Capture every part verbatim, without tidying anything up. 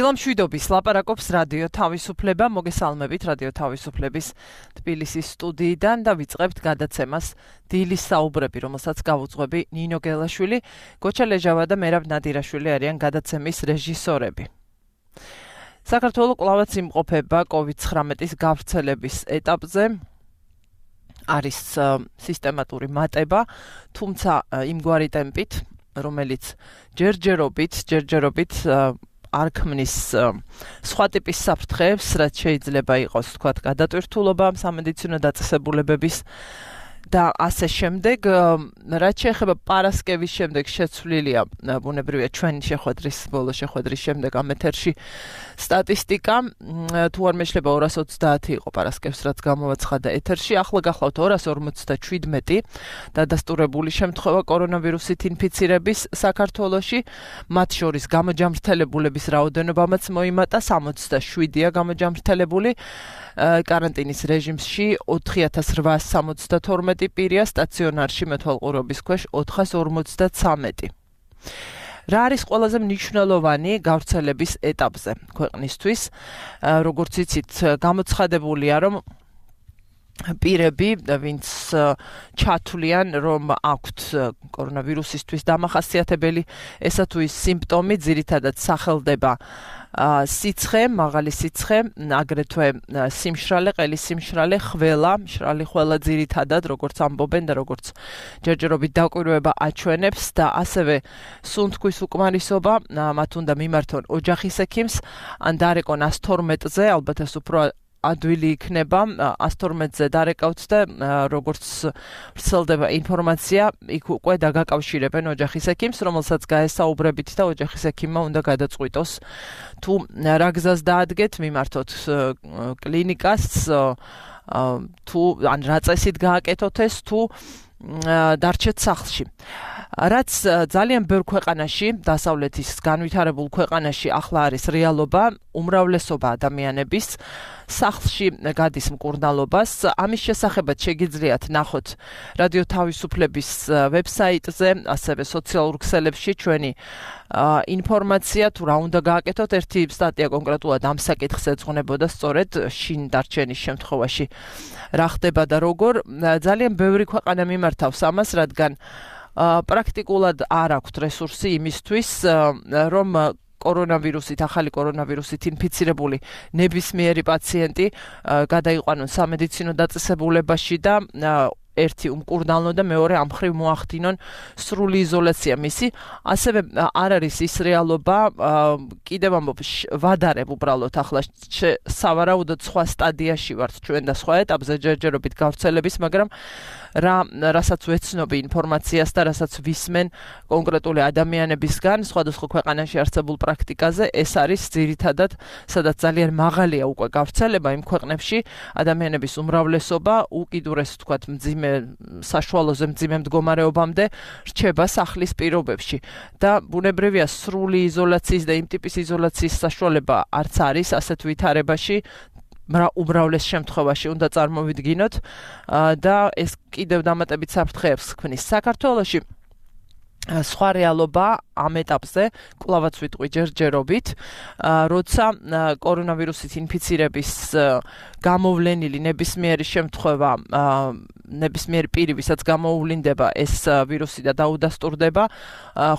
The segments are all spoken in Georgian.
დილამშვიდობის ლაპარაკობს რადიო თავისუფლება, მოგესალმებით რადიო თავისუფლების თბილისის სტუდიიდან და ვიწყებთ გადაცემას დილის საუბრები, რომელსაც გავუძღვები ნინო გელაშვილი, გოჩა ლეჟავა და მერაბ ნადირაშვილი არიან გადაცემის რეჟისორები. საქართველო კვლავაც იმყოფება კოვიდ ცხრამეტის გავრცელების ეტაპზე. არის სისტემატური მატება, თუმცა იმგვარი ტემპით, რომელიც ჯერჯერობით, ჯერჯერობით არ ქმნის სხვა ტიპის საფრთხეებს, რაც შეიძლება იყოს, თქვათ, გადატვირთულობა სამედიცინო დაწესებულებების და ასე შემდეგ, რაც შეეხება პარასკევის შემდეგ შეცვლილია, ბუნებრივია ჩვენი შეხვედრის, ბოლო შეხვედრის შემდეგ ამ ეთერში სტატისტიკა, თუ არ მეშლება ორას ოცდაათი იყო პარასკევს, რაც გამოვაცხადა ეთერში, ახლა გახლავთ ორას ორმოცდაშვიდმეტი დადასტურებული შემთხვევა კორონავირუსით ინფიცირების საქართველოში, მათ შორის გამოჯამრთელებულების რაოდენობამაც მოიმატა, სამოცდაშვიდია გამოჯამრთელებული, კარანტინის რეჟიმში ოთხი ათას რვაას სამოცდათორმეტი პირია, სტაციონარში მეთვალყურეობის ქვეშ ოთხას ორმოცდაცამეტი. რა არის ყველაზე მნიშვნელოვანი გავრცელების ეტაპზე ქვეყნისთვის? როგორც იცით, გამოცხადებულია, რომ პირები, ვინც ჩათვლიან, რომ აქვთ კორონავირუსისთვის დამახასიათებელი ესა თუ ის სიმპტომი, ძირითადად სახელდება სიცხე, მაღალი სიცხე, აგრეთვე სიმშრალე, ყელის სიმშრალე, ხველა, მშრალი ხველა ძირითადად, როგორც ამბობენ და როგორც ჯერჯერობით დაკვირვება აჩვენებს და ასევე სუნთქვის უკმარისობა, მათ უნდა მიმართონ ოჯახის ექიმს, ან დარეკონ ას თორმეტზე, ალბათ ეს უფრო ადვილი იქნება, ას თორმეტზე დარეკავთ და როგორც ვრცელდება ინფორმაცია, იქ უკვე დაგაკავშირებენ ოჯახის ექიმს, რომელსაც გაესაუბრებით და ოჯახის ექიმმა უნდა გადაწყვიტოს, თუ რა გზას დაადგეთ, მიმართოთ კლინიკას, თუ ან რა წესით გააკეთოთ ეს, თუ დარჩეთ სახლში. რაც ძალიან ბევრ ქვეყანაში, დასავლეთის განვითარებულ ქვეყანაში ახლა არის რეალობა, უმრავლესობა ადამიანების სახლში გადის მკურნალობას. ამის შესახებაც შეგიძლიათ ნახოთ რადიო თავისუფლების ვებსაიტზე, ასევე სოციალურ ქსელებში ჩვენი ინფორმაცია, თუ რა უნდა გააკეთოთ. ერთი სტატია კონკრეტულად ამ საკითხს ეძღვნებოდა, სწორედ შინ დარჩენის შემთხვევაში რა ხდება და როგორ. ძალიან ბევრი ქვეყანა მიმართავს ამას, რადგან პრაქტიკულად არ აქვთ რესურსი იმისთვის, რომ კორონავირუსით, ახალი კორონავირუსით ინფიცირებული ნებისმიერი პაციენტი გადაიყვანონ სამედიცინო დაწესებულებაში და ერთი უმკურნალონ და მეორე ამ მხრივ მოახდინონ სრული იზოლაცია მისი. ასევე არ არის ის რეალობა, კიდევ ამბობ, ვადარებ უბრალოდ ახლა სავარაუდოდ სხვა სტადიაში ვართ ჩვენ და სხვა ეტაპზე ჯერჯერობით გავრცელების, მაგრამ რა რასაც ვეცნობი ინფორმაციას და რასაც ვისმენ კონკრეტული ადამიანებისგან სხვადასხვა ქვეყანაში არსებულ პრაქტიკაზე, ეს არის ძირითადად, სადაც ძალიან მაღალია უკვე გავრცელება იმ ქვეყნებში, ადამიანების უმრავლესობა უკიდურეს, თქვათ, მძიმე საშუალოზე მძიმე მდგომარეობამდე რჩება სახლის პირობებში და ბუნებრივია სრული იზოლაციის და იმ ტიპის იზოლაციის საშუალება არც არის ასეთ ვითარებაში, უმრავლეს შემთხვევაში უნდა წარმოვიდგინოთ და ეს კიდევ დამატებით საფრთხეებს ქმნის საქართველოში. სხვა რეალობა ამ ეტაპზე, კვლავაც ვიტყვი ჯერჯერობით, როცა კორონავირუსით ინფიცირების გამოვლენილი ნებისმიერი შემთხვევა, ნებისმიერი პირი, ვისაც გამოუვლინდება ეს ვირუსი და დაუდასტურდება,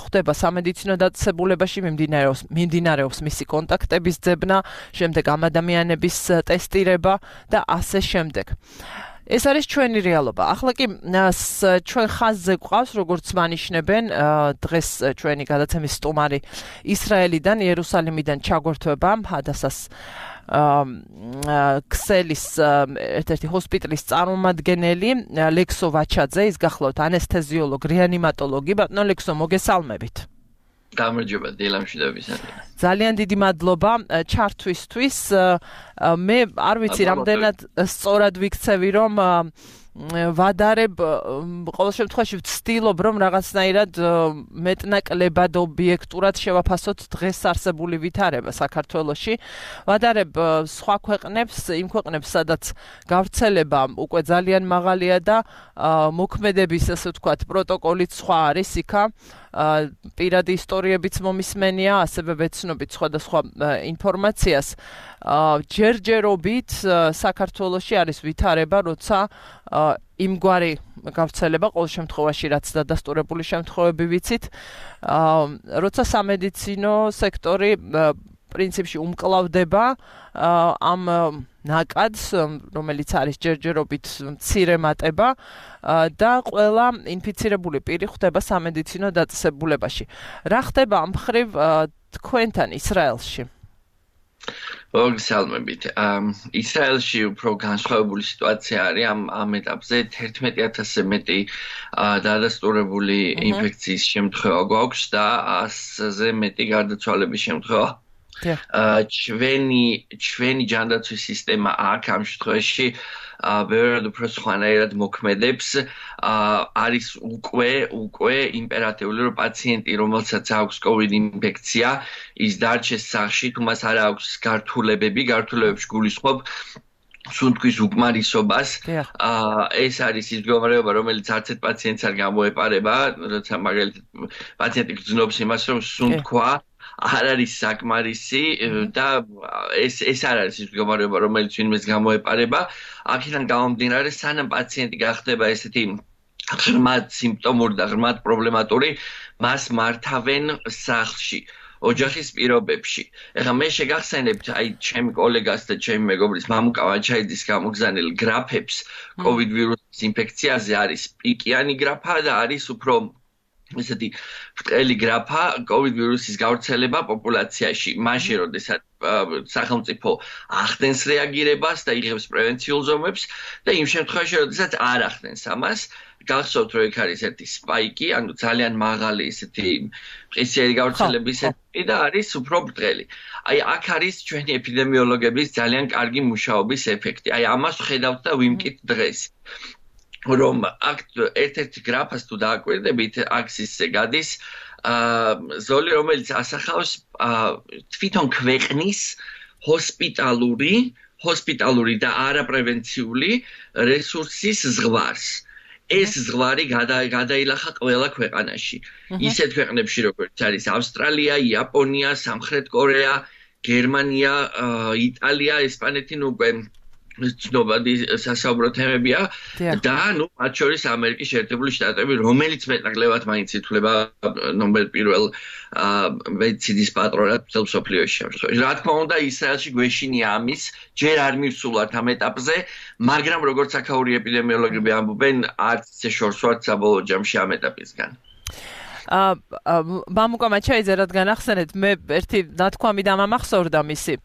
ხდება სამედიცინო დაწესებულებაში, მიმდინარეობს, მიმდინარეობს მისი კონტაქტების ძებნა, შემდეგ ამ ადამიანების ტესტირება და ასე შემდეგ. ეს არის ჩვენი რეალობა. ახლა კი ჩვენ ხაზზე გვყავს, როგორც მანიშნებენ, დღეს ჩვენი გადაცემის სტუმარი ისრაელიდან, იერუსალიმიდან ჩაგვერთვება, ჰადასას ქსელის ერთ-ერთი ჰოსპიტალის წარმომადგენელი ლექსო ვაჩაძე, ის გახლავთ ანესთეზიოლოგი, რეანიმატოლოგი. ბატონო ლექსო, მოგესალმებით. გამარჯობა, დილამშვიდობის. ძალიან დიდი მადლობა ჩართვისთვის. მე არ ვიცი რამდენად სწორად ვიქცევი რომ ვადარებ ყოველ შემთხვევაში ვცდილობ რომ რაღაცნაირად მეტნაკლებად ობიექტურად შევაფასოთ დღეს არსებული ვითარება საქართველოში ვადარებ სხვა ქვეყნებს იმ ქვეყნებს სადაც გავრცელება უკვე ძალიან მაღალია და მოქმედების ასე ვთქვათ პროტოკოლიც სხვა არის იქა პირადი ისტორიებიც მომისმენია ასევე ვეცნობით სხვადასხვა ინფორმაციას ჯერჯერობით საქართველოში არის ვითარება როცა იმგვარი გავრცელება ყოველ შემთხვევაში რაც დადასტურებული შემთხვევები ვიცით როცა სამედიცინო სექტორი პრინციპში უმკლავდება ამ ნაკადს რომელიც არის ჯერჯერობით მცირე მატება და ყველა ინფიცირებული პირი ხვდება სამედიცინო დაწესებულებაში რა ხდება ამ მხრივ თქვენთან ისრაელში მოგესალმებით. ისრაელში უფრო განსხვავებული სიტუაცია არის ამ ამ ეტაპზე თერთმეტი ათასზე მეტი დადასტურებული ინფექციის შემთხვევა გვაქვს და ასზე მეტი გარდაცვალების შემთხვევა. ჩვენი ჩვენი ჯანდაცვის სისტემა აქ ამ შემთხვევაში ბევრად უფრო სხვანაირად მოქმედებს არის უკვე უკვე იმპერატიული რომ პაციენტი რომელსაც აქვს COVID ინფექცია ის დარჩეს სახლში თუ მას არ აქვს გართულებები გართულებებში გულისხმობ სუნთქვის უკმარისობას ეს არის ის მდგომარეობა რომელიც არც ერთ პაციენტს არ გამოეპარება როცა მაგალითად პაციენტი გრძნობს იმას რომ სუნთქვა არ არის საკმარისი და ეს ეს არ არის ის მდგომარეობა რომელიც ვინმეს გამოეპარება აქედან გამომდინარე სანამ პაციენტი გახდება ესეთი ღრმად სიმპტომური და ღრმად პრობლემატური მას მართავენ სახლში ოჯახის პირობებში ეხლა მე შეგახსენებთ აი ჩემი კოლეგას და ჩემი მეგობრის მამუკა ვაჩაიძის გამოგზავნილ გრაფებს COVID ვირუსის ინფექციაზე არის პიკიანი გრაფა და არის უფრო ესეთი ბრტყელი გრაფა COVID ვირუსის გავრცელება პოპულაციაში მაშინ როდესაც სახელმწიფო ახდენს რეაგირებას და იღებს პრევენციულ ზომებს და იმ შემთხვევაში როდესაც არ ახდენს ამას გახსოვთ რომ იქ არის ერთი სპაიკი ანუ ძალიან მაღალი ესეთი მყისიერი გავრცელების ეტაპი და არის უფრო ბრტყელი აი აქ არის ჩვენი ეპიდემიოლოგების ძალიან კარგი მუშაობის ეფექტი აი ამას ხედავთ და ვიმკით დღეს რომ აქ ერთ-ერთი გრაფას თუ დააკვირდებით აქსისზე გადის ზოლი რომელიც ასახავს თვითონ ქვეყნის ჰოსპიტალური ჰოსპიტალური და არაპრევენციული რესურსის ზღვარს ეს ზღვარი გადაილახა ყველა ქვეყანაში ისეთ ქვეყნებში როგორც არის ავსტრალია, იაპონია, სამხრეთ კორეა, გერმანია, იტალია, ესპანეთი ნუ უკვე ცნობადი სასაუბრო თემებია და ნუ მათ შორის ამერიკის შეერთებული შტატები რომელიც მეტნაკლებად მაინც ითვლება ნომერ პირველ მედიცინის პატრონად მთელ მსოფლიოში. რა თქმა უნდა ისრაელში გვეშინია ამის ჯერ არ მივსულართ ამ ეტაპზე მაგრამ როგორც აქაური ეპიდემიოლოგები ამბობენ არც ისე შორს ვართ საბოლოო ჯამში ამ ეტაპისგან. მამუკა მაჩაიძე რადგან ახსენეთ მე ერთი ნათქვამი დამამახსოვრდა მისი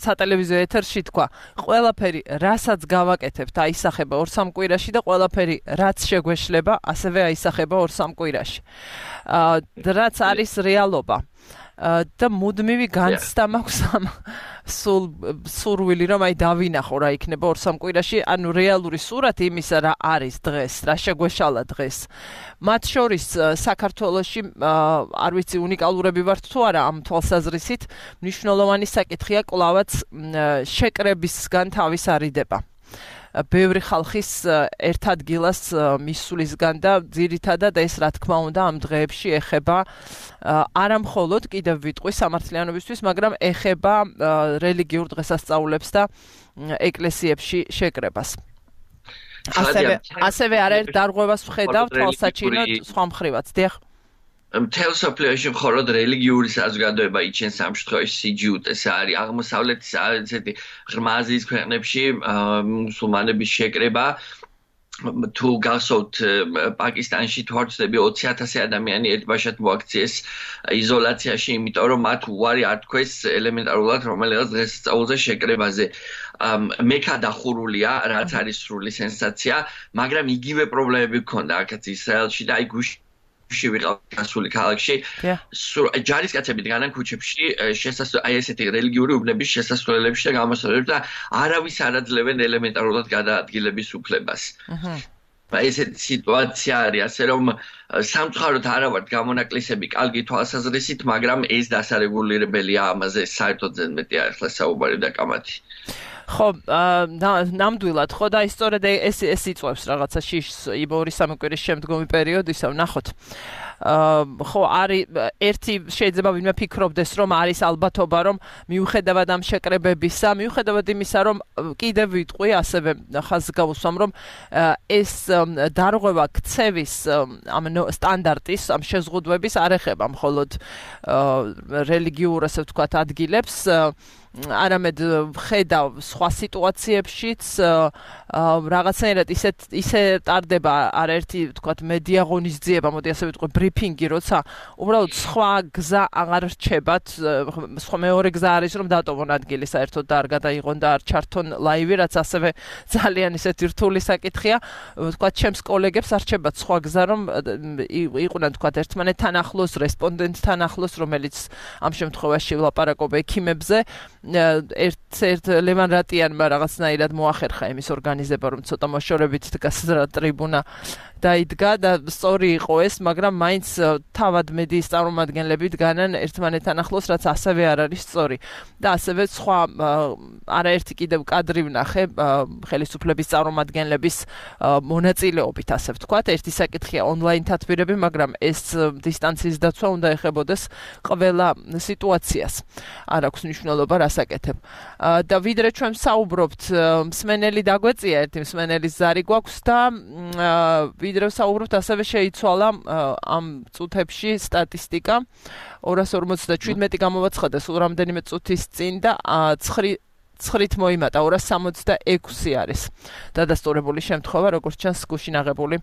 სატელევიზიო ეთერში თქვა ყველაფერი რასაც გავაკეთებთ აისახება ორ სამ კვირაში და ყველაფერი რაც შეგვეშლება ასევე აისახება ორ სამ კვირაში რაც არის რეალობა და მუდმივი განცდა მაქვს ამ სულ სურვილი რომ აი დავინახო რა იქნება ორ სამ კვირაში ანუ რეალური სურათი იმისა რა არის დღეს რა შეგვეშალა დღეს მათ შორის საქართველოში არ ვიცი უნიკალურები ვართ თუ არა ამ თვალსაზრისით მნიშვნელოვანი საკითხია კლავაც შეკრებისგან თავის არიდება ბევრი ხალხის ერთ ადგილას მისვლისგან და ძირითადად ეს რა თქმა უნდა ამ დღეებში ეხება არა მხოლოდ კიდევ ვიტყვი სამართლიანობისთვის მაგრამ ეხება რელიგიურ დღესასწაულებს და ეკლესიებში შეკრებას ასევე ასევე არაერთ დარღვევას ვხედავ თვალსაჩინოდ სხვა მხრივაც დიახ მთელ მსოფლიოში მხოლოდ რელიგიური საზოგადოება იჩენს ამ შემთხვევაში სიჯუტეს არის აღმოსავლეთის ესეთი ღრმა აზიის ქვეყნებში მუსულმანების შეკრება თუ გახსოვთ პაკისტანში თუ არ ვცდები ოცი ათასი ადამიანი ერთბაშად მოაქციეს იზოლაციაში იმიტომ რომ მათ უარი არ თქვეს ელემენტარულად რომელიღაც დღესასწაულზე შეკრებაზე მექა დახურულია რაც არის სრული სენსაცია მაგრამ იგივე პრობლემები ჰქონდა აქაც ისრაელში და აი ში ვიყავ გასული ქალაქში. ჯარისკაცები დგანან ქუჩებში შესასვლელ აი ესეთი რელიგიური უბნების შესასვლელებში და გამოსვლელებში და არავის არ აძლევენ ელემენტარულად გადაადგილების უფლებას. ესეთი სიტუაცია არის, ასე რომ სამწუხაროდ არა ვართ გამონაკლისები კარგი თვალსაზრისით, მაგრამ ეს დასარეგულირებელია ამაზე საერთოდ ზედმეტია ახლა საუბარი და კამათი. ხო, ნამდვილად, ხო და ისწორედ ეს ეს იწვევს რაღაცა შიშს ორი სამი კვირის შემდგომი პერიოდისა, ვნახოთ. ხო, არის ერთი შეიძლება ვინმე ფიქრობდეს, რომ არის ალბათობა, რომ მიუხედავად ამ შეკრებებისა, მიუხედავად იმისა, რომ კიდევ ვიტყვი, ასევე ხაზს გავუსვამ, რომ ეს დარღვევა ქცევის ამ სტანდარტის, ამ შეზღუდვების არ ეხება მხოლოდ რელიგიურ, ასე ვთქვათ, ადგილებს, არამედ ხედავ სხვა სიტუაციებშიც რაღაცნაირად ისეთ ისე ტარდება არაერთი ვთქვათ მედია ღონისძიება, მოდი ასე ვიტყვი ბრიფინგი, როცა უბრალოდ სხვა გზა აღარ რჩებათ, სხვა მეორე გზა არის რომ დატოვონ ადგილი საერთოდ და არ გადაიღონ და არ ჩართონ ლაივი, რაც ასევე ძალიან ისეთი რთული საკითხია, ვთქვათ ჩემს კოლეგებს არ რჩებათ სხვა გზა რომ იყვნენ ვთქვათ ერთმანეთთან ახლოს, რესპონდენტთან ახლოს, რომელიც ამ შემთხვევაში ვლაპარაკობ ექიმებზე. ერთ-ერთ ლევან რატიანმა რაღაცნაირად მოახერხა იმის ორგანიზება, რომ ცოტა მოშორებით დგას ტრიბუნა დაიდგა და სწორი იყო ეს, მაგრამ მაინც თავად მედიის წარმომადგენლები დგანან ერთმანეთთან ახლოს, რაც ასევე არ არის სწორი. და ასევე სხვა არაერთი კიდევ კადრი ვნახე ხელისუფლების წარმომადგენლების მონაწილეობით, ასე ვთქვათ. ერთი საკითხია ონლაინ თათბირები, მაგრამ ეს დისტანციის დაცვა უნდა ეხებოდეს ყველა სიტუაციას. არ აქვს მნიშვნელობა რას აკეთებ. და ვიდრე ჩვენ საუბრობთ, მსმენელი დაგვეწია, ერთი მსმენელის ზარი გვაქვს და ვიდრე საუბრობთ, ასევე შეიცვალა ამ წუთებში სტატისტიკა. ორას ორმოცდაშვიდმეტი გამოვაცხადა სულ რამდენიმე წუთის წინ და ცხრით მოიმატა, ორას სამოცდაექვსი არის დადასტურებული შემთხვევა, როგორც ჩანს გუშინ აღებული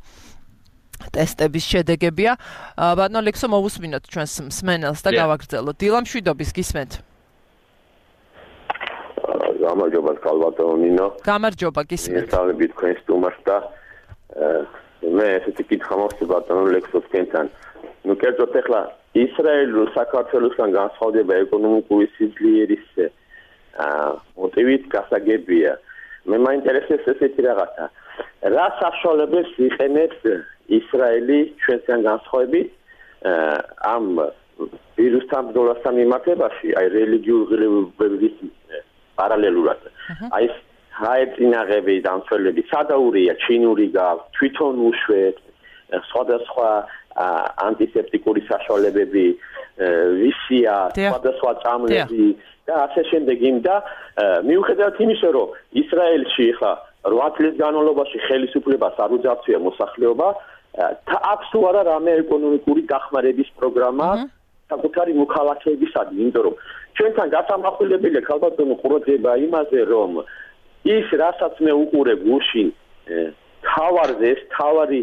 ტესტების შედეგებია. ბატონო ლექსო, მოვუსმინოთ ჩვენს მსმენელს და გავაგრძელოთ. დილა მშვიდობის, გისმენთ? გამარჯობა ბატონო ნინო. გამარჯობა, გისმენთ. მისალები თქვენ სტუმარს და მე ესეთი კითხვა მოხდა ბატონო ლექსო თქვენთან. ნუ კერძოდ ახლა ისრაელს საქართველოსთან განსხვავდება ეკონომიკური სიძლიერის მოტივით გასაგებია. მე მაინტერესებს ესეთი რაღაცა. რა საშუალებებს იყენებს ისრაელი ჩვენთან განსხვავებით ამ ვირუსთან ბრძოლასთან მიმართებაში, აი რელიგიურ ღირებულების პარალელურად. აი ჰაეწინაღები დამცველები სადაურია, ჩინური გაქვს, თვითონ უშვეთ, სხვადასხვა ანტისეპტიკური საშუალებები, ვისია, სხვადასხვა წამლები და ასე შემდეგ იმ და მიუხედავად იმისა, რომ ისრაელში ხა რვა წლის განმავლობაში ხელისუფლებას არ უძარცვია მოსახლეობა, აქვს თუ არა რამე ეკონომიკური დახმარების პროგრამა საკუთარი მოქალაქეებისადმი, იმიტომ რომ ჩვენთან გასამახვილებელია ქალბატონო ყურადღება იმაზე, რომ ის რასაც მე უყურე გუშინ თავარზე ეს თავარი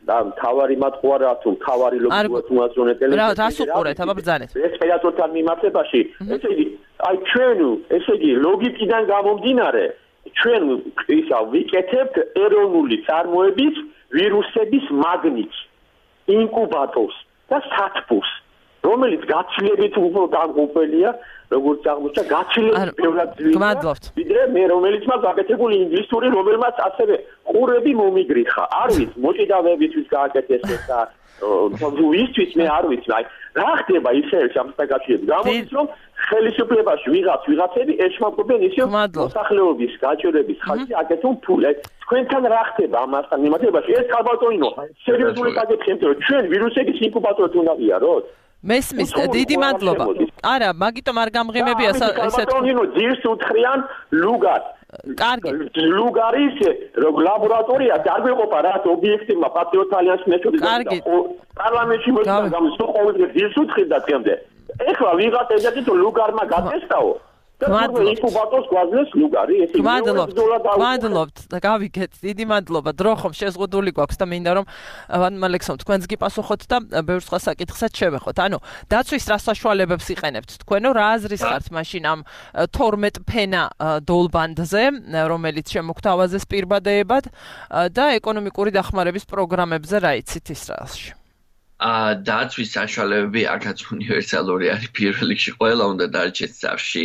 და თავარი მათყუარა თუ თავარი ლოგიკურად მოაზროვნე ტელევიზია. რა რას უყურეთ, აბა ბრძანეთ. ეს პედაგოგთან მიმართებაში, ესე იგი, აი ჩვენ, ესე იგი, ლოგიკიდან გამომდინარე, ჩვენ ისა ვიკეთებთ ეროვნული წარმოების ვირუსების მაგნიტს, ინკუბატორს და სათბურს, რომელიც გაცილებით უფრო დამღუპელია, როგორც აღმოჩნდა, გაცილებით ბევრად ძლიერი. ვიდრე მე რომელიც მას გაკეთებული ინგლისური, რომელმაც ასევე ყურები მომიგრიხა. არ ვიცი, მოჭიდავებისთვის გააკეთეს ეს და ვისთვის მე არ ვიცი, აი რა ხდება ისრაელში ამ საკითხებში. გამოდის რომ ხელისუფლებაში ვიღაც ვიღაცები ეშმაკობენ ისე მოსახლეობის გაჭირების ხალხი აკეთონ ფულს. თქვენთან რა ხდება ამასთან მიმართებაში? ეს ქალბატონო, სერიოზული საკითხია, რომ ჩვენ ვირუსების ინკუბატორად უნდა ვიაროთ. მესმის, დიდი მადლობა. არა, მაგიტომ არ გამღიმებია ესეთ. ქალბატონო, ძირს უთხრიან ლუგარს. კარგი. ლუგარის ლაბორატორია დაგვეყოფა რა ობიექტებმა პატრიოტ ალიანსის მეთოდით. კარგი. პარლამენტში მოიწყო გამოსულ ყოველდღე ძირს უთხრიდა თემდე. ეხლა ვიღაც ეძახით რომ ლუგარმა გაწესტაო. ინკუბატორს გვაძლევს ლუგარი, ესე მადლობთ და გავიგეთ. დიდი მადლობა. დრო ხომ შეზღუდული გვაქვს და მინდა რომ ალექსონ თქვენს გიპასუხოთ და ბევრ სხვა საკითხსაც შევეხოთ. ანუ დაცვის რა საშუალებებს იყენებთ თქვენო, რა აზრის ხართ მაშინ ამ თორმეტ ფენა დოლბანდზე, რომელიც შემოგთავაზეს პირბადეებად და ეკონომიკური დახმარების პროგრამებზე რა იცით ისრაელში? დაცვის საშუალებები აქაც უნივერსალური არის პირველ რიგში ყველა უნდა დარჩეს სახლში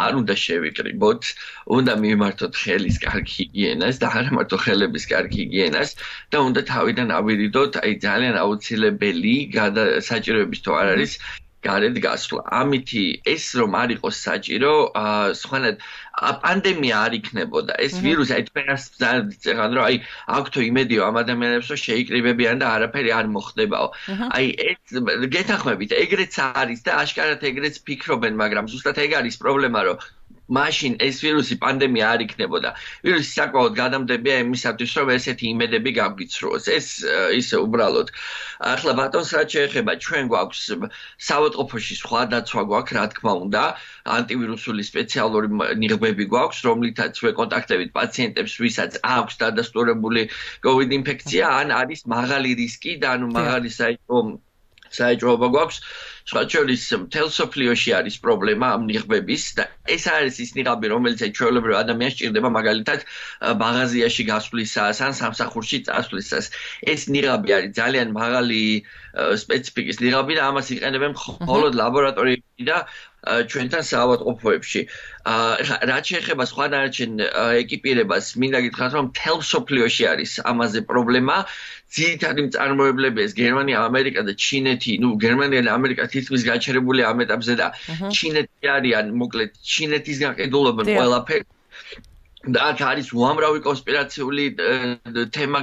არ უნდა შევიკრიბოთ უნდა მიმართოთ ხელის კარგი ჰიგიენას და არა მარტო ხელების კარგი ჰიგიენას და უნდა თავიდან ავირიდოთ აი ძალიან აუცილებელი საჭიროების თუ არ არის გარეთ გასვლა. ამითი ეს რომ არ იყოს საჭირო, სხვანაირად პანდემია არ იქნებოდა. ეს ვირუსი აი თქვენს ძალიან რომ აი აქვთო იმედიო ამ ადამიანებს რომ შეიკრიბებიან და არაფერი არ მოხდებაო. აი ეს გეთანხმებით, ეგრეც არის და აშკარად ეგრეც ფიქრობენ, მაგრამ ზუსტად ეგ არის პრობლემა, რომ მაშინ ეს ვირუსი პანდემია არ იქნებოდა. ვირუსი საკმაოდ გადამდებია იმისათვის, რომ ესეთი იმედები გაგვიცრუოს. ეს ისე უბრალოდ. ახლა ბატონს რაც შეეხება, ჩვენ გვაქვს საავადმყოფოში სხვა დაცვა გვაქვს, რა თქმა უნდა, ანტივირუსული სპეციალური ნიღბები გვაქვს, რომლითაც ვეკონტაქტებით პაციენტებს, ვისაც აქვს დადასტურებული COVID ინფექცია, ან არის მაღალი რისკი და ანუ მაღალი საეჭვო საეჭვობა გვაქვს. სხვა შორის მთელ სოფლიოში არის პრობლემა ამ ნიღბების და ეს არის ის ნიღაბი, რომელიც ჩვეულებრივ ადამიანს სჭირდება მაგალითად მაღაზიაში გასვლისას ან სამსახურში წასვლისას. ეს ნიღაბი არის ძალიან მაღალი სპეციფიკის ნიღაბი და ამას იყენებენ მხოლოდ ლაბორატორიებში და ჩვენთან საავადმყოფოებში. რაც შეეხება სხვა დანარჩენ ეკიპირებას, მინდა გითხრათ, რომ მთელ სოფლიოში არის ამაზე პრობლემა. ძირითადი მწარმოებლები ეს გერმანია, ამერიკა და ჩინეთი, ну გერმანია და ამერიკა თითქმის გაჩერებული ამ ეტაპზე და ჩინეთი არიან, მოკლედ ჩინეთის გაყიდულობენ ყველაფერი. და აქ არის უამრავი კონსპირაციული თემა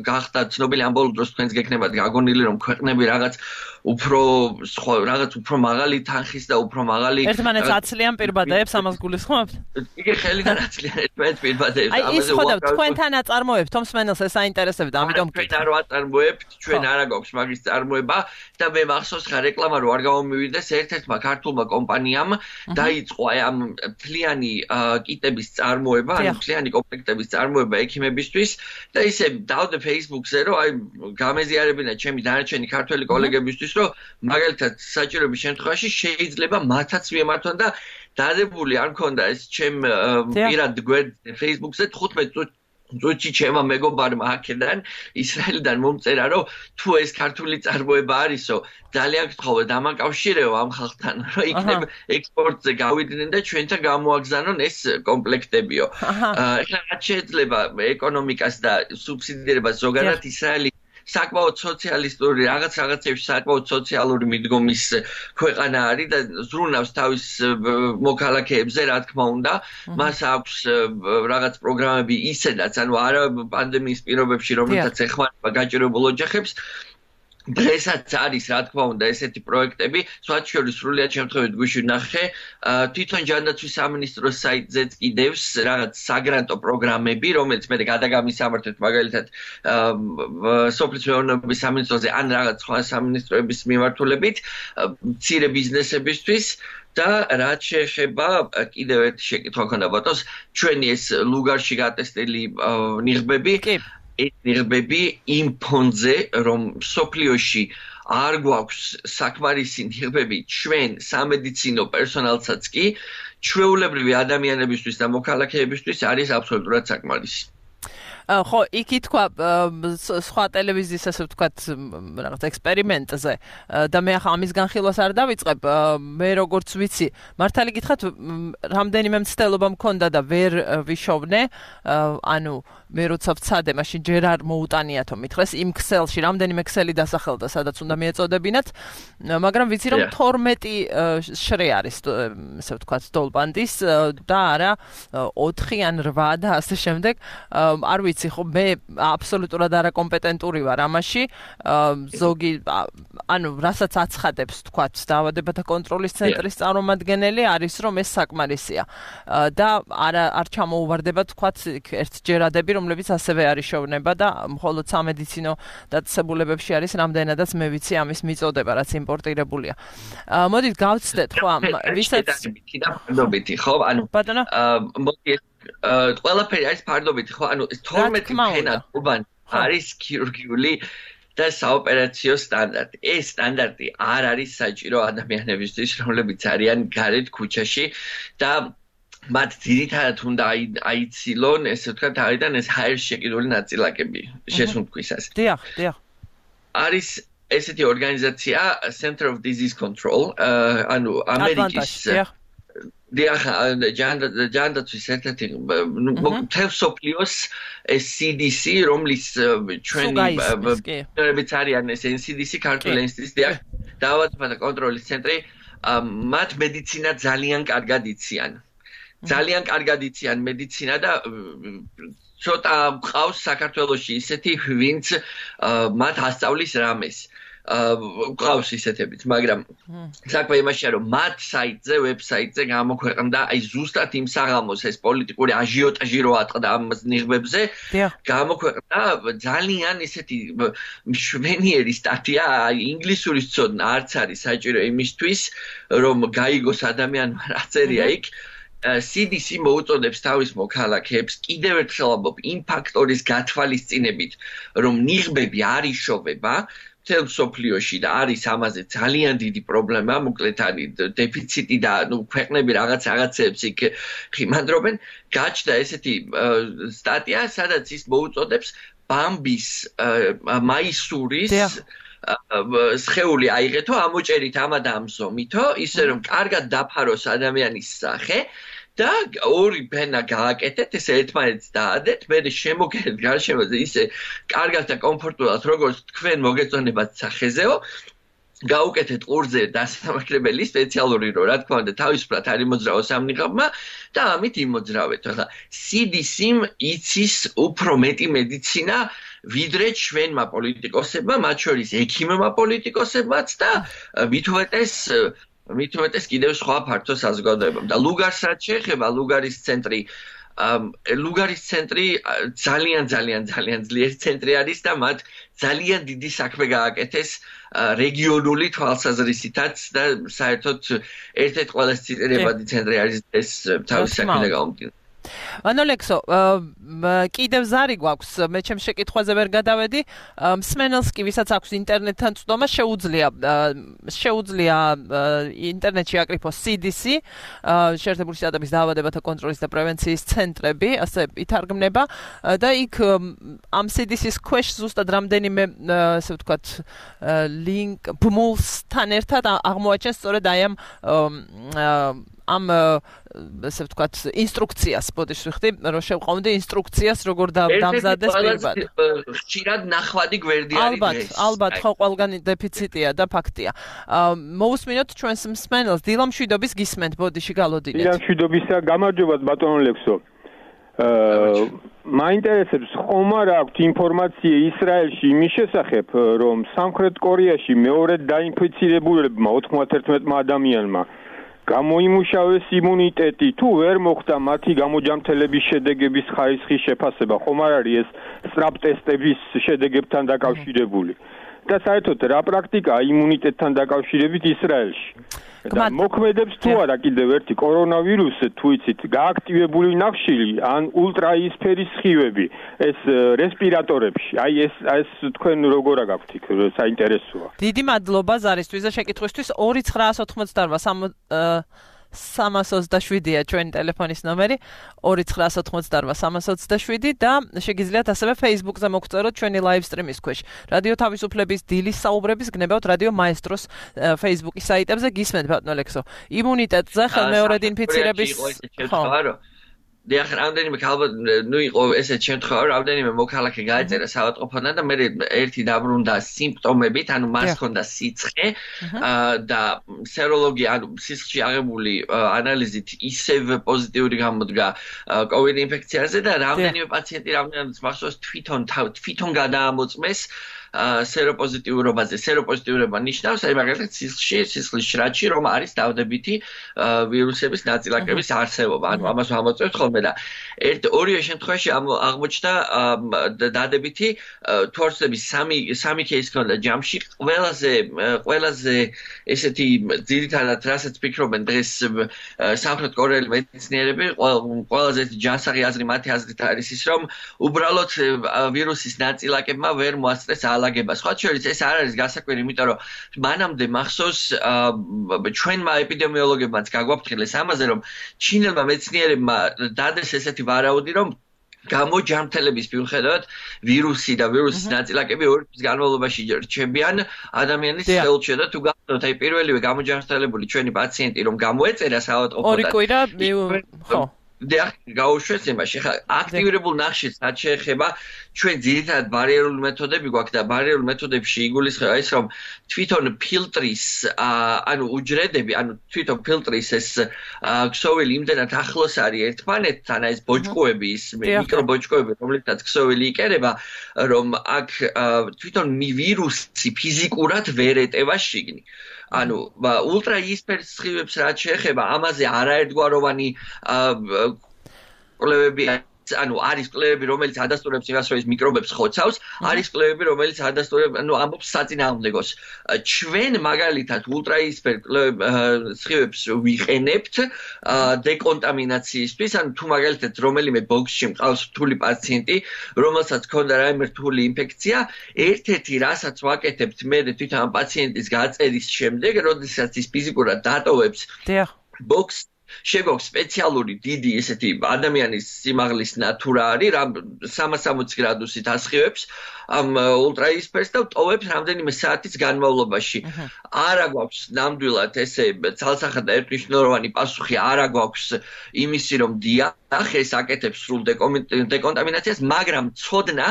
გახდა ცნობილი ამ ბოლო დროს თქვენს გექნებათ გაგონილი რომ ქვეყნები რაღაც უფრო სხვა რაღაც უფრო მაღალი თანხის და უფრო მაღალი ერთმანეთს აცლიან პირბადეებს ამას გულისხმობთ? იგი ხელიდან აცლიან ერთმანეთს პირბადეებს ამაზე. აი ის ხო და თქვენთან აწარმოებთ თომ მსმენელს ეს აინტერესებდა, ამიტომ ჩვენ არ ვაწარმოებთ, ჩვენ არა გვაქვს მაგის წარმოება და მე მახსოვს ხა რეკლამა რო არ გამომივიდეს ერთ-ერთმა ქართულმა კომპანიამ დაიწყო აი ამ მთლიანი კიტების წარმოება, ანუ მთლიანი კომპლექტების წარმოება ექიმებისთვის და ისე დავდე Facebook-ზე რომ აი გამეზიარებინა ჩემი დანარჩენი ქართველი კოლეგებისთვის რომ მაგალითად საჭიროების შემთხვევაში შეიძლება მათაც მიემართონ და დადებული არ მქონდა ეს ჩემ პირად გვერდზე Facebook-ზე თხუთმეტ წუთში ჩემმა მეგობარმა აქედან ისრაელიდან მომწერა რომ თუ ეს ქართული წარმოება არისო ძალიან გთხოვე დამაკავშირეო ამ ხალხთან რომ იქნებ ექსპორტზე გავიდნენ და ჩვენთან გამოაგზავნონ ეს კომპლექტებიო. ეხლა რაც შეიძლება ეკონომიკას და სუბსიდირებას ზოგადად ისრაელი საკმაოდ სოციალისტური რაღაც რაღაცებში საკმაოდ სოციალური მიდგომის ქვეყანა არის და ზრუნავს თავის მოქალაქეებზე, რა თქმა უნდა. მას აქვს რაღაც პროგრამები ისედაც, ანუ არა პანდემიის პირობებში, რომელთაც ეხმარება გაჭირებულ ოჯახებს. დღესაც არის, რა თქმა უნდა, ესეთი პროექტები, სხვათა შორის სრულიად შემთხვევით გვიშვი ნახე, თვითონ ჯანდაცვის სამინისტროს საიტზეც კიდევს რაღაც საგრანტო პროგრამები, რომელიც მე გადაგამისამართეთ მაგალითად სოფლის მეურნეობის სამინისტროზე ან რაღაც სხვა სამინისტროების მიმართულებით, მცირე ბიზნესებისთვის და რაც შეეხება კიდევ ერთი შეკითხვა ქონდა ბატონს, ჩვენი ეს ლუგარში გატესტილი ნიღბები ეს ნიღბები იმ ფონზე, რომ სოფლიოში არ გვაქვს საკმარისი ნიღბები ჩვენ სამედიცინო პერსონალსაც კი, ჩვეულებრივი ადამიანებისთვის და მოქალაქეებისთვის არის აბსოლუტურად საკმარისი. ხო, იქ ითქვა სხვა ტელევიზიის ასე ვთქვათ რაღაც ექსპერიმენტზე და მე ახლა ამის განხილვას არ დავიწყებ, მე როგორც ვიცი, მართალი გითხრათ, რამდენიმე მცდელობა მქონდა და ვერ ვიშოვნე, ანუ მე როცა ვცადე, მაშინ ჯერ არ მოუტანიათო მითხრეს იმ ქსელში, რამდენიმე ქსელი დასახელდა, სადაც უნდა მიეწოდებინათ, მაგრამ ვიცი რომ თორმეტი შრე არის, ასე ვთქვათ, დოლბანდის და არა ოთხი ან რვა და ასე შემდეგ, არ ვიცი ხო მე აბსოლუტურად არაკომპეტენტური ვარ ამაში ზოგი ანუ რასაც აცხადებს თქვათ დაავადებათა კონტროლის ცენტრის წარმომადგენელი არის რომ ეს საკმარისია და არა არ ჩამოუვარდება თქვათ ერთ ჯერადები რომლებიც ასევე არის შოვნება და მხოლოდ სამედიცინო დაწესებულებებში არის რამდენადაც მე ვიცი ამის მიწოდება რაც იმპორტირებულია მოდით გავცდეთ ხო ვისაც ფარდობითი ხო ანუ მოდი ყველაფერი არის ფარდობითი ხო ანუ თორმეტი ფენა უბანი არის ქირურგიული და საოპერაციო სტანდარტი ეს სტანდარტი არ არის საჭირო ადამიანებისთვის რომლებიც არიან გარეთ ქუჩაში და მათ ძირითადად უნდა აიცილონ ესე ვთქვათ თავიდან ეს ჰაერში შეკიდული ნაწილაკები შესუნთქვისას დიახ დიახ არის ესეთი ორგანიზაცია Center of Disease Control, ანუ ამერიკის დიახ, ჯანდაცვის ერთ-ერთი მთელ სოფლიოს C D C, რომლის ჩვენი ბუნებიც არიან ეს N C D C, ქართული ინსტიტუტი, დიახ, დაავადებათა კონტროლის ცენტრი, მათ მედიცინა ძალიან კარგად იციან. ძალიან კარგად იციან მედიცინა და ცოტა მყავს საქართველოში ისეთი, ვინც მათ ასწავლის რამეს. ყავს ისეთებიც, მაგრამ საქმე იმაშია, რომ მათ საიტზე, ვებსაიტზე გამოქვეყნდა აი ზუსტად იმ საღამოს ეს პოლიტიკური აჟიოტაჟი რო ატყდა ამ ნიღბებზე, გამოქვეყნდა ძალიან ისეთი მშვენიერი სტატია, აი ინგლისურის ცოდნა არც არის საჭირო იმისთვის, რომ გაიგოს ადამიანმა რა წერია იქ. C D C მოუწოდებს თავის მოქალაქეებს კიდევ ერთხელ ამბობ იმ ფაქტორის გათვალისწინებით, რომ ნიღბები არ იშოვება მთელ სოფლიოში და არის ამაზე ძალიან დიდი პრობლემა, მოკლედ არის დეფიციტი და ნუ ქვეყნები რაღაც რაღაცებს იქ ხიმანდრობენ, გაჩნდა ესეთი სტატია, სადაც ის მოუწოდებს ბამბის მაისურის სხეული აიღეთო, ამოჭერით ამა და ამ ზომითო, ისე რომ კარგად დაფაროს ადამიანის სახე და ორი ფენა გააკეთეთ, ესე ერთმანეთს დაადეთ, მერე შემოგერეთ გარშემოზე ისე კარგად და კომფორტულად, როგორც თქვენ მოგეწონებათ სახეზეო, გაუკეთეთ ყურზე დასამართლებელი სპეციალური რო, რა თქმა უნდა, თავისუფლად არ იმოძრავოს ამ ნიღაბმა და ამით იმოძრავეთ. ახლა C D C-მ იცის უფრო მეტი მედიცინა, ვიდრე ჩვენმა პოლიტიკოსებმა, მათ შორის ექიმებმა პოლიტიკოსებმაც და მით უმეტეს მით უმეტეს კიდევ სხვა ფართო საზოგადოებამ. და ლუგარს რაც შეეხება, ლუგარის ცენტრი ლუგარის ცენტრი ძალიან ძალიან ძალიან ძლიერი ცენტრი არის და მათ ძალიან დიდი საქმე გააკეთეს რეგიონული თვალსაზრისითაც და საერთოდ ერთ-ერთი ყველაზე ციტირებადი ცენტრი არის ეს თავის საქმე გამომდინარე. ანუ ლექსო, კიდევ ზარი გვაქვს, მე ჩემს შეკითხვაზე ვერ გადავედი, მსმენელს კი ვისაც აქვს ინტერნეტთან წვდომა, შეუძლია შეუძლია ინტერნეტში აკრიფოს C D C, შეერთებული შტატების დაავადებათა კონტროლის და პრევენციის ცენტრები, ასე ითარგმნება და იქ ამ C D C-ის ქვეშ ზუსტად რამდენიმე, ასე ვთქვათ, ლინკ ბმულსთან ერთად აღმოაჩენს სწორედ აი ამ ამ ასე ვთქვათ ინსტრუქციას ბოდიში ვიხდი, რომ შევყავდი ინსტრუქციას როგორ დამზადეს პირბად. ხშირად ნახვადი გვერდი არის. ალბათ, ალბათ, ხო ყველგან დეფიციტია და ფაქტია. მოусმინოთ ჩვენს მსმენელს, დილამშვიდობის გისმენთ ბოდიში გალოდინეთ. დილამშვიდობისა, გამარჯობათ ბატონო ლექსო. მაინტერესებს ხომ არ აქვთ ინფორმაცია ისრაელში იმის შესახებ, რომ სამხრეთ კორეაში მეორედ დაინფიცირებულებმა ოცდაერთმა ადამიანმა გამოიმუშავეს იმუნიტეტი, თუ ვერ მოხდა მათი გამოჯამთელების შედეგების ხარისხის შეფასება, ხომ არ არის ეს სწრაფ ტესტების შედეგებთან დაკავშირებული? და საერთოდ რა პრაქტიკაა იმუნიტეტთან დაკავშირებით ისრაელში? და მოქმედებს თუ არა კიდევ ერთი კორონავირუსი, თუ იცით, გააქტივებული ნახშირი ან ულტრაისფერის სხივები ეს რესპირატორებში. აი ეს ეს თქვენ როგორ აგაქვთ იქ, საინტერესოა. დიდი მადლობა ზარისთვის და შეკითხვისთვის. ორი ცხრა ოცდაოთხმოცდაარბა სამას ოცდაშვიდია ჩვენი ტელეფონის ნომერი, ორი ცხრა ოცდაოთხმოცდაარბა სამას ოცდაშვიდი და შეგიძლიათ ასევე Facebook-ზე მოგწეროთ ჩვენი live stream-ის ქვეშ. რადიო თავისუფლების დილის საუბრების გნებავთ რადიო მაესტროს Facebook-ის საიტებზე, გისმენთ ბატონო ლექსო. იმუნიტეტზე ხელმეორედ ინფიცირების ხო დიახ, რამდენიმე ალბათ ნუ იყო ესეთ შემთხვევა, რამდენიმე მოქალაქე გაეწერა საავადმყოფოდან და მე ერთი დაბრუნდა სიმპტომებით, ანუ მას ჰქონდა სიცხე და სეროლოგი, ანუ სისხლში აღებული ანალიზით ისევ პოზიტიური გამოდგა COVID ინფექციაზე და რამდენიმე პაციენტი რამდენადაც მახსოვს თვითონ თვითონ გადაამოწმეს სეროპოზიტიურობაზე. სეროპოზიტიურობა ნიშნავს, აი მაგალითად სისხლში, სისხლის შრატში რომ არის დავდებითი ვირუსების ნაწილაკების არსებობა. ანუ ამას ამოწევთ ხოლმე და ერთ ორივე შემთხვევაში აღმოჩნდა დადებითი თორცების სამი სამი кейსი ჰქონდა ჯამში. ყველაზე ყველაზე ესეთი ძირითადად რასაც ფიქრობენ დღეს სამხრეთ კორეელი მეცნიერები, ყველაზე ჯანსაღი აზრი მათი აზრით არის ის, რომ უბრალოდ ვირუსის ნაწილაკებმა ვერ მოასწრეს ალაგება. სხვა შორის ეს არ არის გასაკვირი, იმიტომ რომ მანამდე მახსოვს ჩვენმა ეპიდემიოლოგებმაც გაგვაფრთხილეს ამაზე, რომ ჩინელმა მეცნიერებმა დადეს ესეთი ვარაუდი, რომ გამოჯანმრთელების მიუხედავად ვირუსი და ვირუსის ნაწილაკები ორი თვის განმავლობაში რჩებიან ადამიანის სხეულში და თუ გახდოთ აი პირველივე გამოჯანმრთელებული ჩვენი პაციენტი რომ გამოეწერა საავადმყოფოდან ორი კვირა ხო და გაუშვეს იმაში ხა აქტივირებულ ნახშირს რაც შეეხება ჩვენ ძირითადად ბარიერული მეთოდები გვაქვს და ბარიერულ მეთოდებში იგულისხმება ის რომ თვითონ ფილტრის ანუ უჯრედები ანუ თვითონ ფილტრის ეს ქსოვილი იმდენად ახლოს არის ერთმანეთთან აი ეს ბოჭკოები ის მიკრობოჭკოები რომლითაც ქსოვილი იკერება რომ აქ თვითონ ვირუსი ფიზიკურად ვერ ეტევა შიგნით ანუ ულტრაიისფერ სხივებს რაც შეეხება ამაზე არაერთგვაროვანი კვლევები ანუ არის კვლევები რომელიც ადასტურებს იმას რომ ეს მიკრობებს ხოცავს არის კვლევები რომელიც ადასტურებს ანუ ამბობს საწინააღმდეგოს ჩვენ მაგალითად ულტრაიისფერ სხივებს ვიყენებთ დეკონტამინაციისთვის ანუ თუ მაგალითად რომელიმე ბოქსში მყავს რთული პაციენტი რომელსაც ჰქონდა რაიმე რთული ინფექცია ერთ-ერთი რასაც ვაკეთებთ მე თვითონ ამ პაციენტის გაწერის შემდეგ როდესაც ის ფიზიკურად დატოვებს ბოქს შეგვაქვს სპეციალური დიდი ესეთი ადამიანის სიმაღლის ნატურა არის რა სამას სამოცი გრადუსით ასხივებს ამ ულტრაიისფერს და ტოვებს რამდენიმე საათის განმავლობაში არა გვაქვს ნამდვილად ესე ცალსახად და ერთნიშნულოვანი პასუხი არა გვაქვს იმისი რომ დიახ ეს აკეთებს სრულ დეკონტამინაციას მაგრამ ცოდნა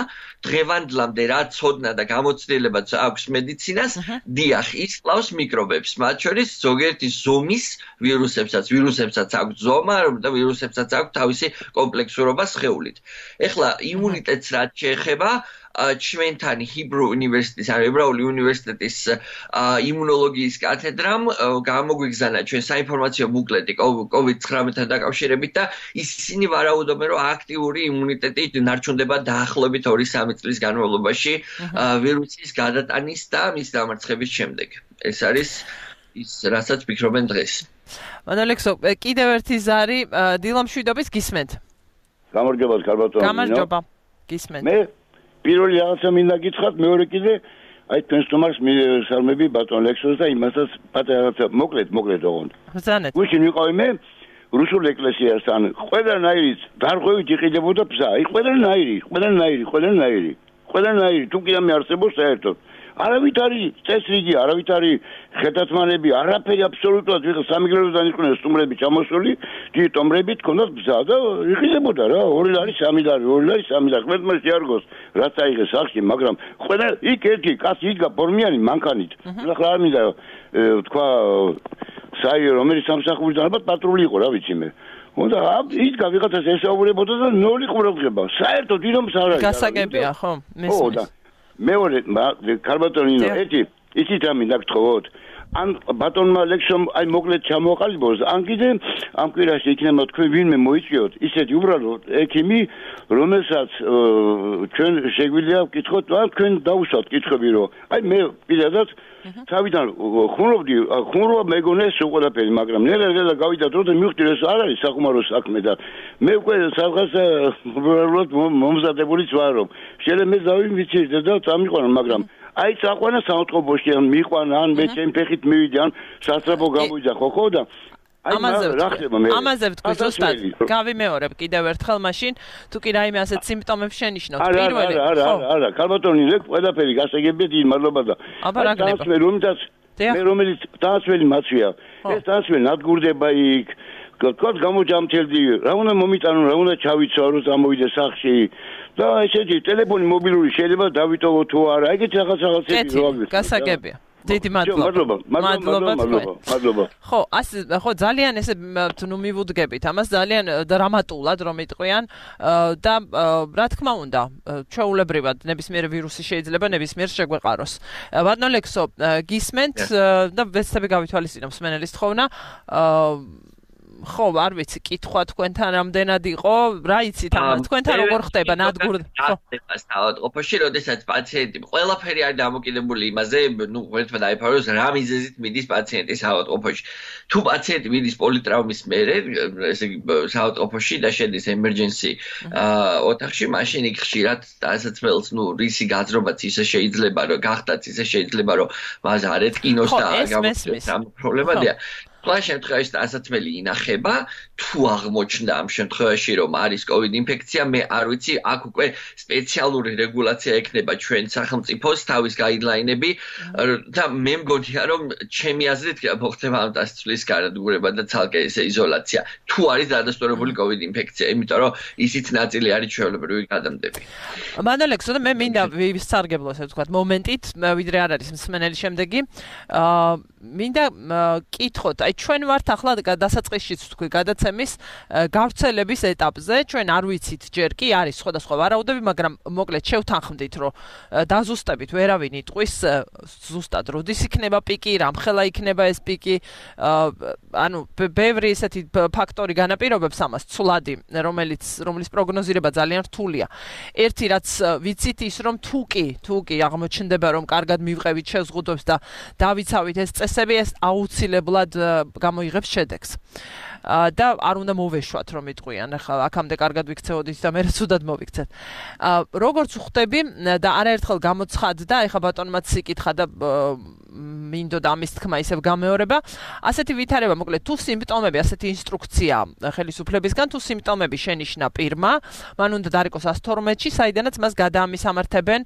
დღევანდლამდე რა ცოდნა და გამოცდილებაც აქვს მედიცინას დიახ ის კლავს მიკრობებს მათ შორის ზოგიერთი ზომის ვირუსებსაც ვირუსებსაც აქვს ზომა და ვირუსებსაც აქვს თავისი კომპლექსურობა სხეულით ეხლა იმუნიტეტს რაც შეეხება ჩვენთან ჰიბრუ უნივერსიტეტის ან ებრაული უნივერსიტეტის იმუნოლოგიის კათედრამ გამოგვიგზავნა ჩვენ საინფორმაციო ბუკლეტი კოვიდ ცხრამეტთან დაკავშირებით და ისინი ვარაუდობენ რომ აქტიური იმუნიტეტი ნარჩუნდება დაახლოებით ორი სამი წლის განმავლობაში ვირუსის გადატანის და მის დამარცხების შემდეგ ეს არის ის რასაც ფიქრობენ დღეს მანოლექსო კიდევ ერთი ზარი დილამშვიდობის გისმენთ გამარჯობა კარბატონი გამარჯობა გისმენთ მე პირველი რაღაცა მინდა გითხრათ მეორე კიდე აი თქვენ სტუმარს მისალმები ბატონ ლექსოს და იმასაც პატარა რაღაცა მოკლედ მოკლედ ოღონდ ბრძანეთ გუშინ ვიყავი მე რუსულ ეკლესიასთან ყველანაირი დარღვევით იყიდებოდა ბზა აი ყველანაირი ყველანაირი ყველანაირი ყველანაირი თუ კი ამე არსებობს საერთოდ არავით არის წესრიგი არავით არის ხეთათმანები არაფერი აბსოლუტურად ვიღა სამიგრელოდან იყვნენ სტუმრები ჩამოსული დიდი ტომრებით ქონდათ ბზა და იყიდებოდა რა ორი ლარი სამი ლარი ორი ლარი სამი ლარი ყველმა შეარგოს რაც აიღეს სახში მაგრამ ყველა იქ ერთი კაცი იდგა ფორმიანი მანქანით ახლა არ მინდა თქვა საიო რომელიც სამსახურიდან ალბათ პატრული იყო რა ვიცი მე უნდა იდგა ვიღაცას ესაუბრებოდა და ნოლი ყურადღება საერთოდ ვინმეს არ არის გასაგებია ხო მესმის მეორე კარბატონინო ერთი ისიც ამინდა გთხოვოთ ან ბატონმა ლექსომ აი მოკლედ ჩამოყალიბოს ან კიდე ამ კვირაში იქნება თქვენ ვინმე მოიწვიოთ ისეთი უბრალოდ ექიმი რომელსაც ჩვენ შეგვიძლია ვკითხოთ ან თქვენ დაუშვათ კითხვები რომ აი მე პირადად თავიდან ხუმრობდი ხუმრობა მეგონა ეს ყველაფერი მაგრამ ნელა გავიდა დრო და მივხვდი ეს არ არის საკუმარო საქმე და მე უკვე სადღაც უბრალოდ მომზადებულიც ვარ რომ შეიძლება მე დავიმიცირდე და წამიყვანა მაგრამ აი წაყვანა საავადმყოფოში ან მიყვანა ან მე ჩემ ფეხით მივიდე ან სასწრაფო გამოვიდა ხო ხო და ამაზე ამაზე ვთქვი ზუსტად გავიმეორებ კიდევ ერთხელ მაშინ თუ კი რაიმე ასეთ სიმპტომებს შენიშნოთ პირველი ხო არა არა არა კარბატონი ლეკ ყველაფერი გასაგებია დიდი მადლობა და აბარაგნება რომლითაც მე რომელიც დაასველი მაცვია ეს დაასველი ნადგურდება იქ თქვა გამოჯამთელდი რა უნდა მომიტანო რა უნდა ჩავიცვა რომ წამოვიდე სახში და ესეთი ტელეფონი მობილური შეიძლება დავიტოვო თუ არა ეგეთ რაღაც რაღაცები რო აგვიხსნა გასაგებია დიდი მადლობა მადლობა მადლობა მადლობა ხო ასე ხო ძალიან ესე ნუ მივუდგებით ამას ძალიან დრამატულად რომ იტყვიან და რა თქმა უნდა ჩვეულებრივად ნებისმიერ ვირუსი შეიძლება ნებისმიერ შეგვეყაროს ბატონ ლექსო გისმენთ და ვეცდები გავითვალისწინოთ მსმენელის თხოვნა ხო არ ვიცი კითხვა თქვენთან რამდენად იყო რა იცით ამას თქვენთან როგორ ხდება ნადგურ ხო საავადმყოფოში როდესაც პაციენტი ყველაფერი არის დამოკიდებული იმაზე ნუ ერთმა დაიფაროს რა მიზეზით მიდის პაციენტი საავადმყოფოში თუ პაციენტი მიდის პოლიტრაუმის მერე ესე იგი საავადმყოფოში და შედის emergency ოთახში მაშინ იქ ხშირად დასაცმელს ნუ რისი გაძრობაც ისე შეიძლება რომ გახდაც ისე შეიძლება რომ მას არ ეთკინოს და გამოსცეს ამ პრობლემადია ყველა შემთხვევაში დასაცმელი ინახება, თუ აღმოჩნდა ამ შემთხვევაში რომ არის COVID ინფექცია, მე არ ვიცი, აქ უკვე სპეციალური რეგულაცია ექნება ჩვენ სახელმწიფოს თავის გაიდლაინები და მე მგონია რომ ჩემი აზრით მოხდება ამ დასწვლის განადგურება და ცალკე ესე იზოლაცია, თუ არის დადასტურებული COVID ინფექცია, იმიტომ რომ ისიც ნაწილი არის ჩვეულებრივი გადამდები. მანოლექსო და მე მინდა ვისარგებლო ასე ვთქვათ მომენტით, ვიდრე არ არის მსმენელი შემდეგი. აა მინდა კითხოთ, აი ჩვენ ვართ ახლა დასაწყისშიც თქვი გადაცემის გავრცელების ეტაპზე, ჩვენ არ ვიცით ჯერ კი არის სხვადასხვა ვარაუდები, მაგრამ მოკლედ შევთანხმდით, რომ დაზუსტებით ვერავინ იტყვის ზუსტად როდის იქნება პიკი, რამხელა იქნება ეს პიკი, ანუ ბევრი ესეთი ფაქტორი განაპირობებს ამას, ცვლადი, რომელიც რომლის პროგნოზირება ძალიან რთულია. ერთი რაც ვიცით ის რომ თუ კი, თუ კი აღმოჩნდება რომ კარგად მივყევით შეზღუდვებს და დავიცავით ეს წესები, ეს აუცილებლად გამოიღებს შედეგს. და არ უნდა მოვეშვათ რომ იტყვიან, ახლა აქამდე კარგად ვიქცეოდით და მე ცუდად მოვიქცეთ. როგორც ვხვდები და არაერთხელ გამოცხადდა, ეხლა ბატონმაც იკითხა და მინდოდა ამის თქმა ისევ გამეორება, ასეთი ვითარება, მოკლედ თუ სიმპტომები, ასეთი ინსტრუქცია ხელისუფლებისგან, თუ სიმპტომები შენიშნა პირმა, მან უნდა დარიყოს ას თორმეტში, საიდანაც მას გადაამისამართებენ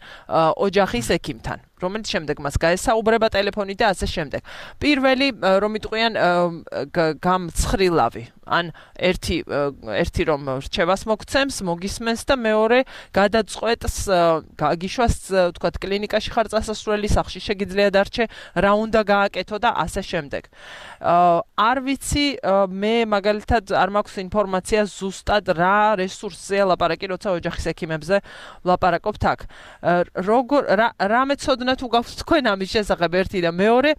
ოჯახის ექიმთან, რომელიც შემდეგ მას გაესაუბრება ტელეფონით და ასე შემდეგ. პირველი რომ იტყვიან გამცხრილავი, ან ერთი ერთი რომ რჩევას მოგცემს, მოგისმენს და მეორე გადაწყვეტს გაგიშვას, თქვათ, კლინიკაში ხარ წასასვლელი, სახლში შეგიძლია დარჩე, რა უნდა გააკეთო და ასე შემდეგ. არ ვიცი, მე მაგალითად არ მაქვს ინფორმაცია ზუსტად რა რესურსზეა ლაპარაკი, როცა ოჯახის ექიმებზე ვლაპარაკობთ აქ. როგორ რა მეცოდნა თუ გაქვთ თქვენ ამის შესახებ ერთი და მეორე,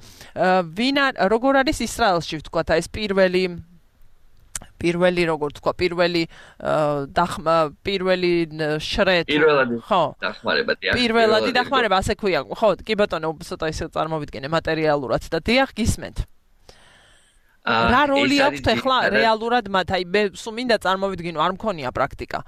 ვინ როგორ არის ისრაელში, ვთქვათ, ეს პირველი პირველი როგორ თქვა, პირველი დახმა, პირველი შრეთ, ხო, დახმარება, დიახ. პირველადი დახმარება, ასე ქვია, ხო, კი ბატონო, ცოტა ისე წარმოვიდგინე მატერიალურად და დიახ, გისმენთ. რა როლი აქვს ახლა რეალურად მათ? აი მე სულ მინდა წარმოვიდგინო, არ მქონია პრაქტიკა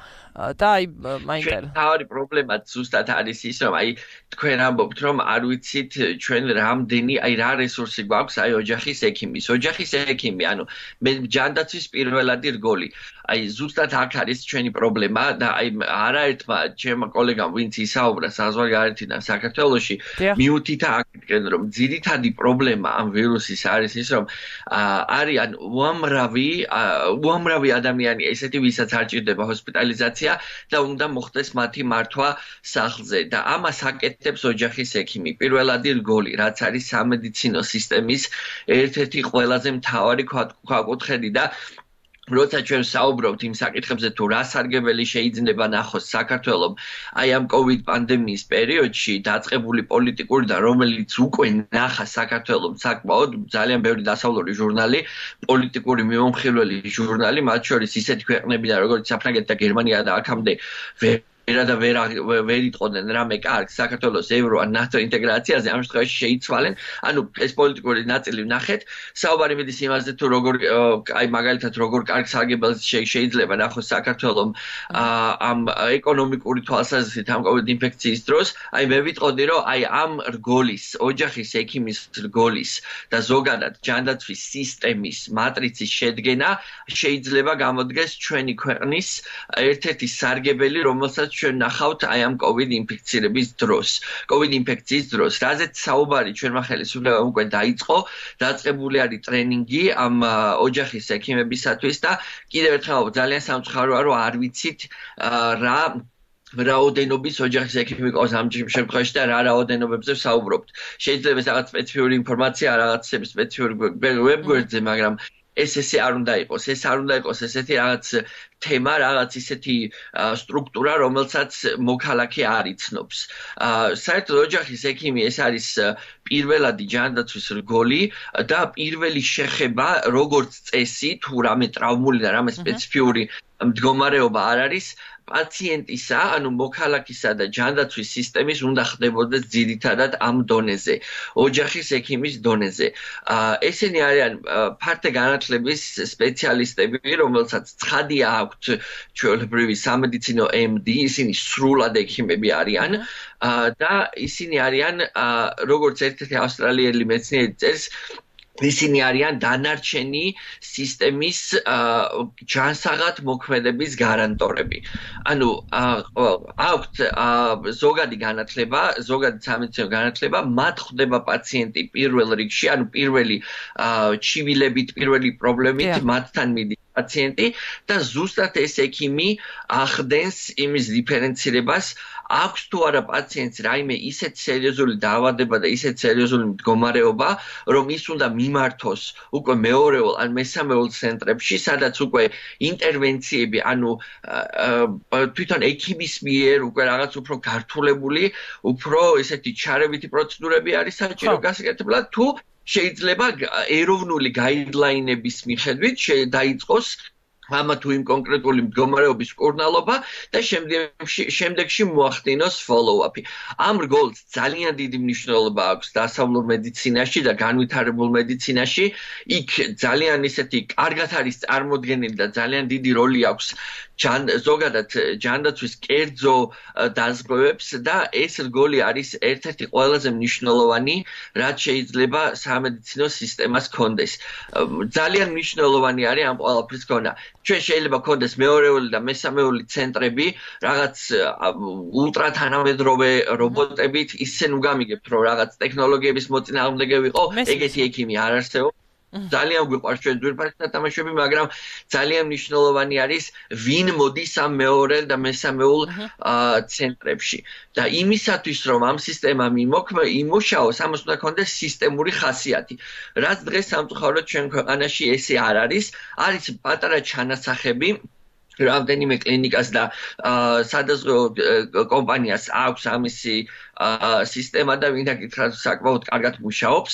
და აი მაინტერესებს. თავი პრობლემა ზუსტად არის ის, რომ აი თქვენ ამბობთ, რომ არ ვიცით ჩვენ რამდენი, აი რა რესურსი გვაქვს აი ოჯახის ექიმის. ოჯახის ექიმი, ანუ მე ჯანდაცვის პირველადი რგოლი. აი ზუსტად აქ არის ჩვენი პრობლემა და აი არაერთმა ჩემმა კოლეგამ ვინც ისაუბრა საზღვარგარეთიდან საქართველოში, მიუთითა აქეთკენ რომ ძირითადი პრობლემა ამ ვირუსის არის ის, რომ არიან უამრავი უამრავი ადამიანი ესეთი, ვისაც არ ჭირდება ჰოსპიტალიზაცია და უნდა მოხდეს მათი მართვა სახლზე და ამას აკეთებს ოჯახის ექიმი. პირველადი რგოლი, რაც არის სამედიცინო სისტემის ერთ-ერთი ყველაზე მთავარი ქვაკუთხედი და როცა ჩვენ საუბრობთ იმ საკითხებზე, თუ რა სარგებელი შეიძლება ნახოს საქართველომ აი ამ COVID პანდემიის პერიოდში დაწყებული პოლიტიკური და რომელიც უკვე ნახა საქართველომ საკმაოდ ძალიან ბევრი დასავლური ჟურნალი, პოლიტიკური მიმომხილველი ჟურნალი, მათ შორის ისეთი ქვეყნებიდან როგორც საფრანგეთი და გერმანია და აქამდე ვერა და ვერ ვერ იტყოდნენ რამე კარგ საქართველოს ევრო ან ნატო ინტეგრაციაზე, ამ შემთხვევაში შეიცვალენ. ანუ ეს პოლიტიკური ნაწილი ვნახეთ. საუბარი მიდის იმაზე, თუ როგორ აი მაგალითად როგორ კარგ სარგებელს შეიძლება ნახოს საქართველოს ამ ეკონომიკური თვალსაზრისით ამ COVID ინფექციის დროს. აი მე ვიტყოდი, რომ აი ამ რგოლის, ოჯახის ექიმის რგოლის და ზოგადად ჯანდაცვის სისტემის მატრიცის შედგენა შეიძლება გამოდგეს ჩვენი ქვეყნის ერთ-ერთი სარგებელი, რომელსაც ჩვენ ნახავთ აი ამ COVID ინფექცირების დროს. COVID ინფექციის დროს, რაზეც საუბარი ჩვენმა ხელისუფლებამ უკვე დაიწყო, დაწყებული არის ტრენინგი ამ ოჯახის ექიმებისათვის და კიდევ ერთხელ ძალიან სამწუხაროა, რომ არ ვიცით რა რაოდენობის ოჯახის ექიმი ყავს ამ შემთხვევაში და რა რაოდენობებზე ვსაუბრობთ. შეიძლება ეს რაღაც სპეციფიური ინფორმაცია, რაღაც სპეციფიური ვებგვერდზე, მაგრამ ეს ესე არ უნდა იყოს, ეს არ უნდა იყოს ესეთი რაღაც თემა, რაღაც ისეთი სტრუქტურა, რომელსაც მოქალაქე არ იცნობს. საერთოდ ოჯახის ექიმი ეს არის პირველადი ჯანდაცვის რგოლი და პირველი შეხება, როგორც წესი, თუ რამე ტრავმული და რამე სპეციფიური მდგომარეობა არ არის, პაციენტისა, ანუ მოქალაქისა და ჯანდაცვის სისტემის უნდა ხდებოდეს ძირითადად ამ დონეზე, ოჯახის ექიმის დონეზე. ესენი არიან ფართე განათლების სპეციალისტები, რომელსაც ცხადია აქვთ ჩვეულებრივი სამედიცინო M D, ისინი სრულად ექიმები არიან და ისინი არიან როგორც ერთ-ერთი ავსტრალიელი მეცნიერი წერს, ისინი არიან დანარჩენი სისტემის ჯანსაღად მოქმედების გარანტორები. ანუ აქვთ ზოგადი განათლება, ზოგადი სამედიცინო განათლება, მათ ხვდება პაციენტი პირველ რიგში, ანუ პირველი ჩივილებით, პირველი პრობლემით მათთან მიდის პაციენტი და ზუსტად ეს ექიმი ახდენს იმის დიფერენცირებას აქვს თუ არა პაციენტს რაიმე ისეთ სერიოზული დაავადება და ისეთ სერიოზული მდგომარეობა, რომ ის უნდა მიმართოს უკვე მეორეულ ან მესამეულ ცენტრებში, სადაც უკვე ინტერვენციები, ანუ თვითონ ექიმის მიერ უკვე რაღაც უფრო გართულებული, უფრო ესეთი ჩარევითი პროცედურები არის საჭირო გასაკეთებლად, თუ შეიძლება ეროვნული გაიდლაინების მიხედვით დაიწყოს ამა თუ იმ კონკრეტული მდგომარეობის მკურნალობა და შემდეგში შემდეგში მოახდინოს follow-up-ი. ამ რგოლს ძალიან დიდი მნიშვნელობა აქვს დასავლურ მედიცინაში და განვითარებულ მედიცინაში. იქ ძალიან ისეთი კარგად არის წარმოდგენილი და ძალიან დიდი როლი აქვს ზოგადად ჯანდაცვის კერძო დაზღვევებს და ეს რგოლი არის ერთ-ერთი ყველაზე მნიშვნელოვანი, რაც შეიძლება სამედიცინო სისტემას ჰქონდეს. ძალიან მნიშვნელოვანი არის ამ ყველაფრის ქონა. ჩვენ შეიძლება გქონდეს მეორეული და მესამეული ცენტრები, რაღაც ულტრა თანამედროვე რობოტებით, ისე ნუ გამიგებთ, რომ რაღაც ტექნოლოგიების მოწინააღმდეგე ვიყო, ეგეთი ექიმი არ არსებობს. ძალიან გვიყვარს ჩვენ ძვირფასი სათამაშოები, მაგრამ ძალიან მნიშვნელოვანი არის ვინ მოდის ამ მეორე და მესამეულ ცენტრებში. და იმისათვის, რომ ამ სისტემამ იმუშაოს, ამას უნდა ქონდეს სისტემური ხასიათი. რაც დღეს სამწუხაროდ ჩვენ ქვეყანაში ესე არ არის, არის პატარა ჩანასახები რამდენიმე კლინიკას და სადაზღვევო კომპანიას აქვს ამისი სისტემა და ვინ დაკითხა საკმაოდ კარგად მუშაობს,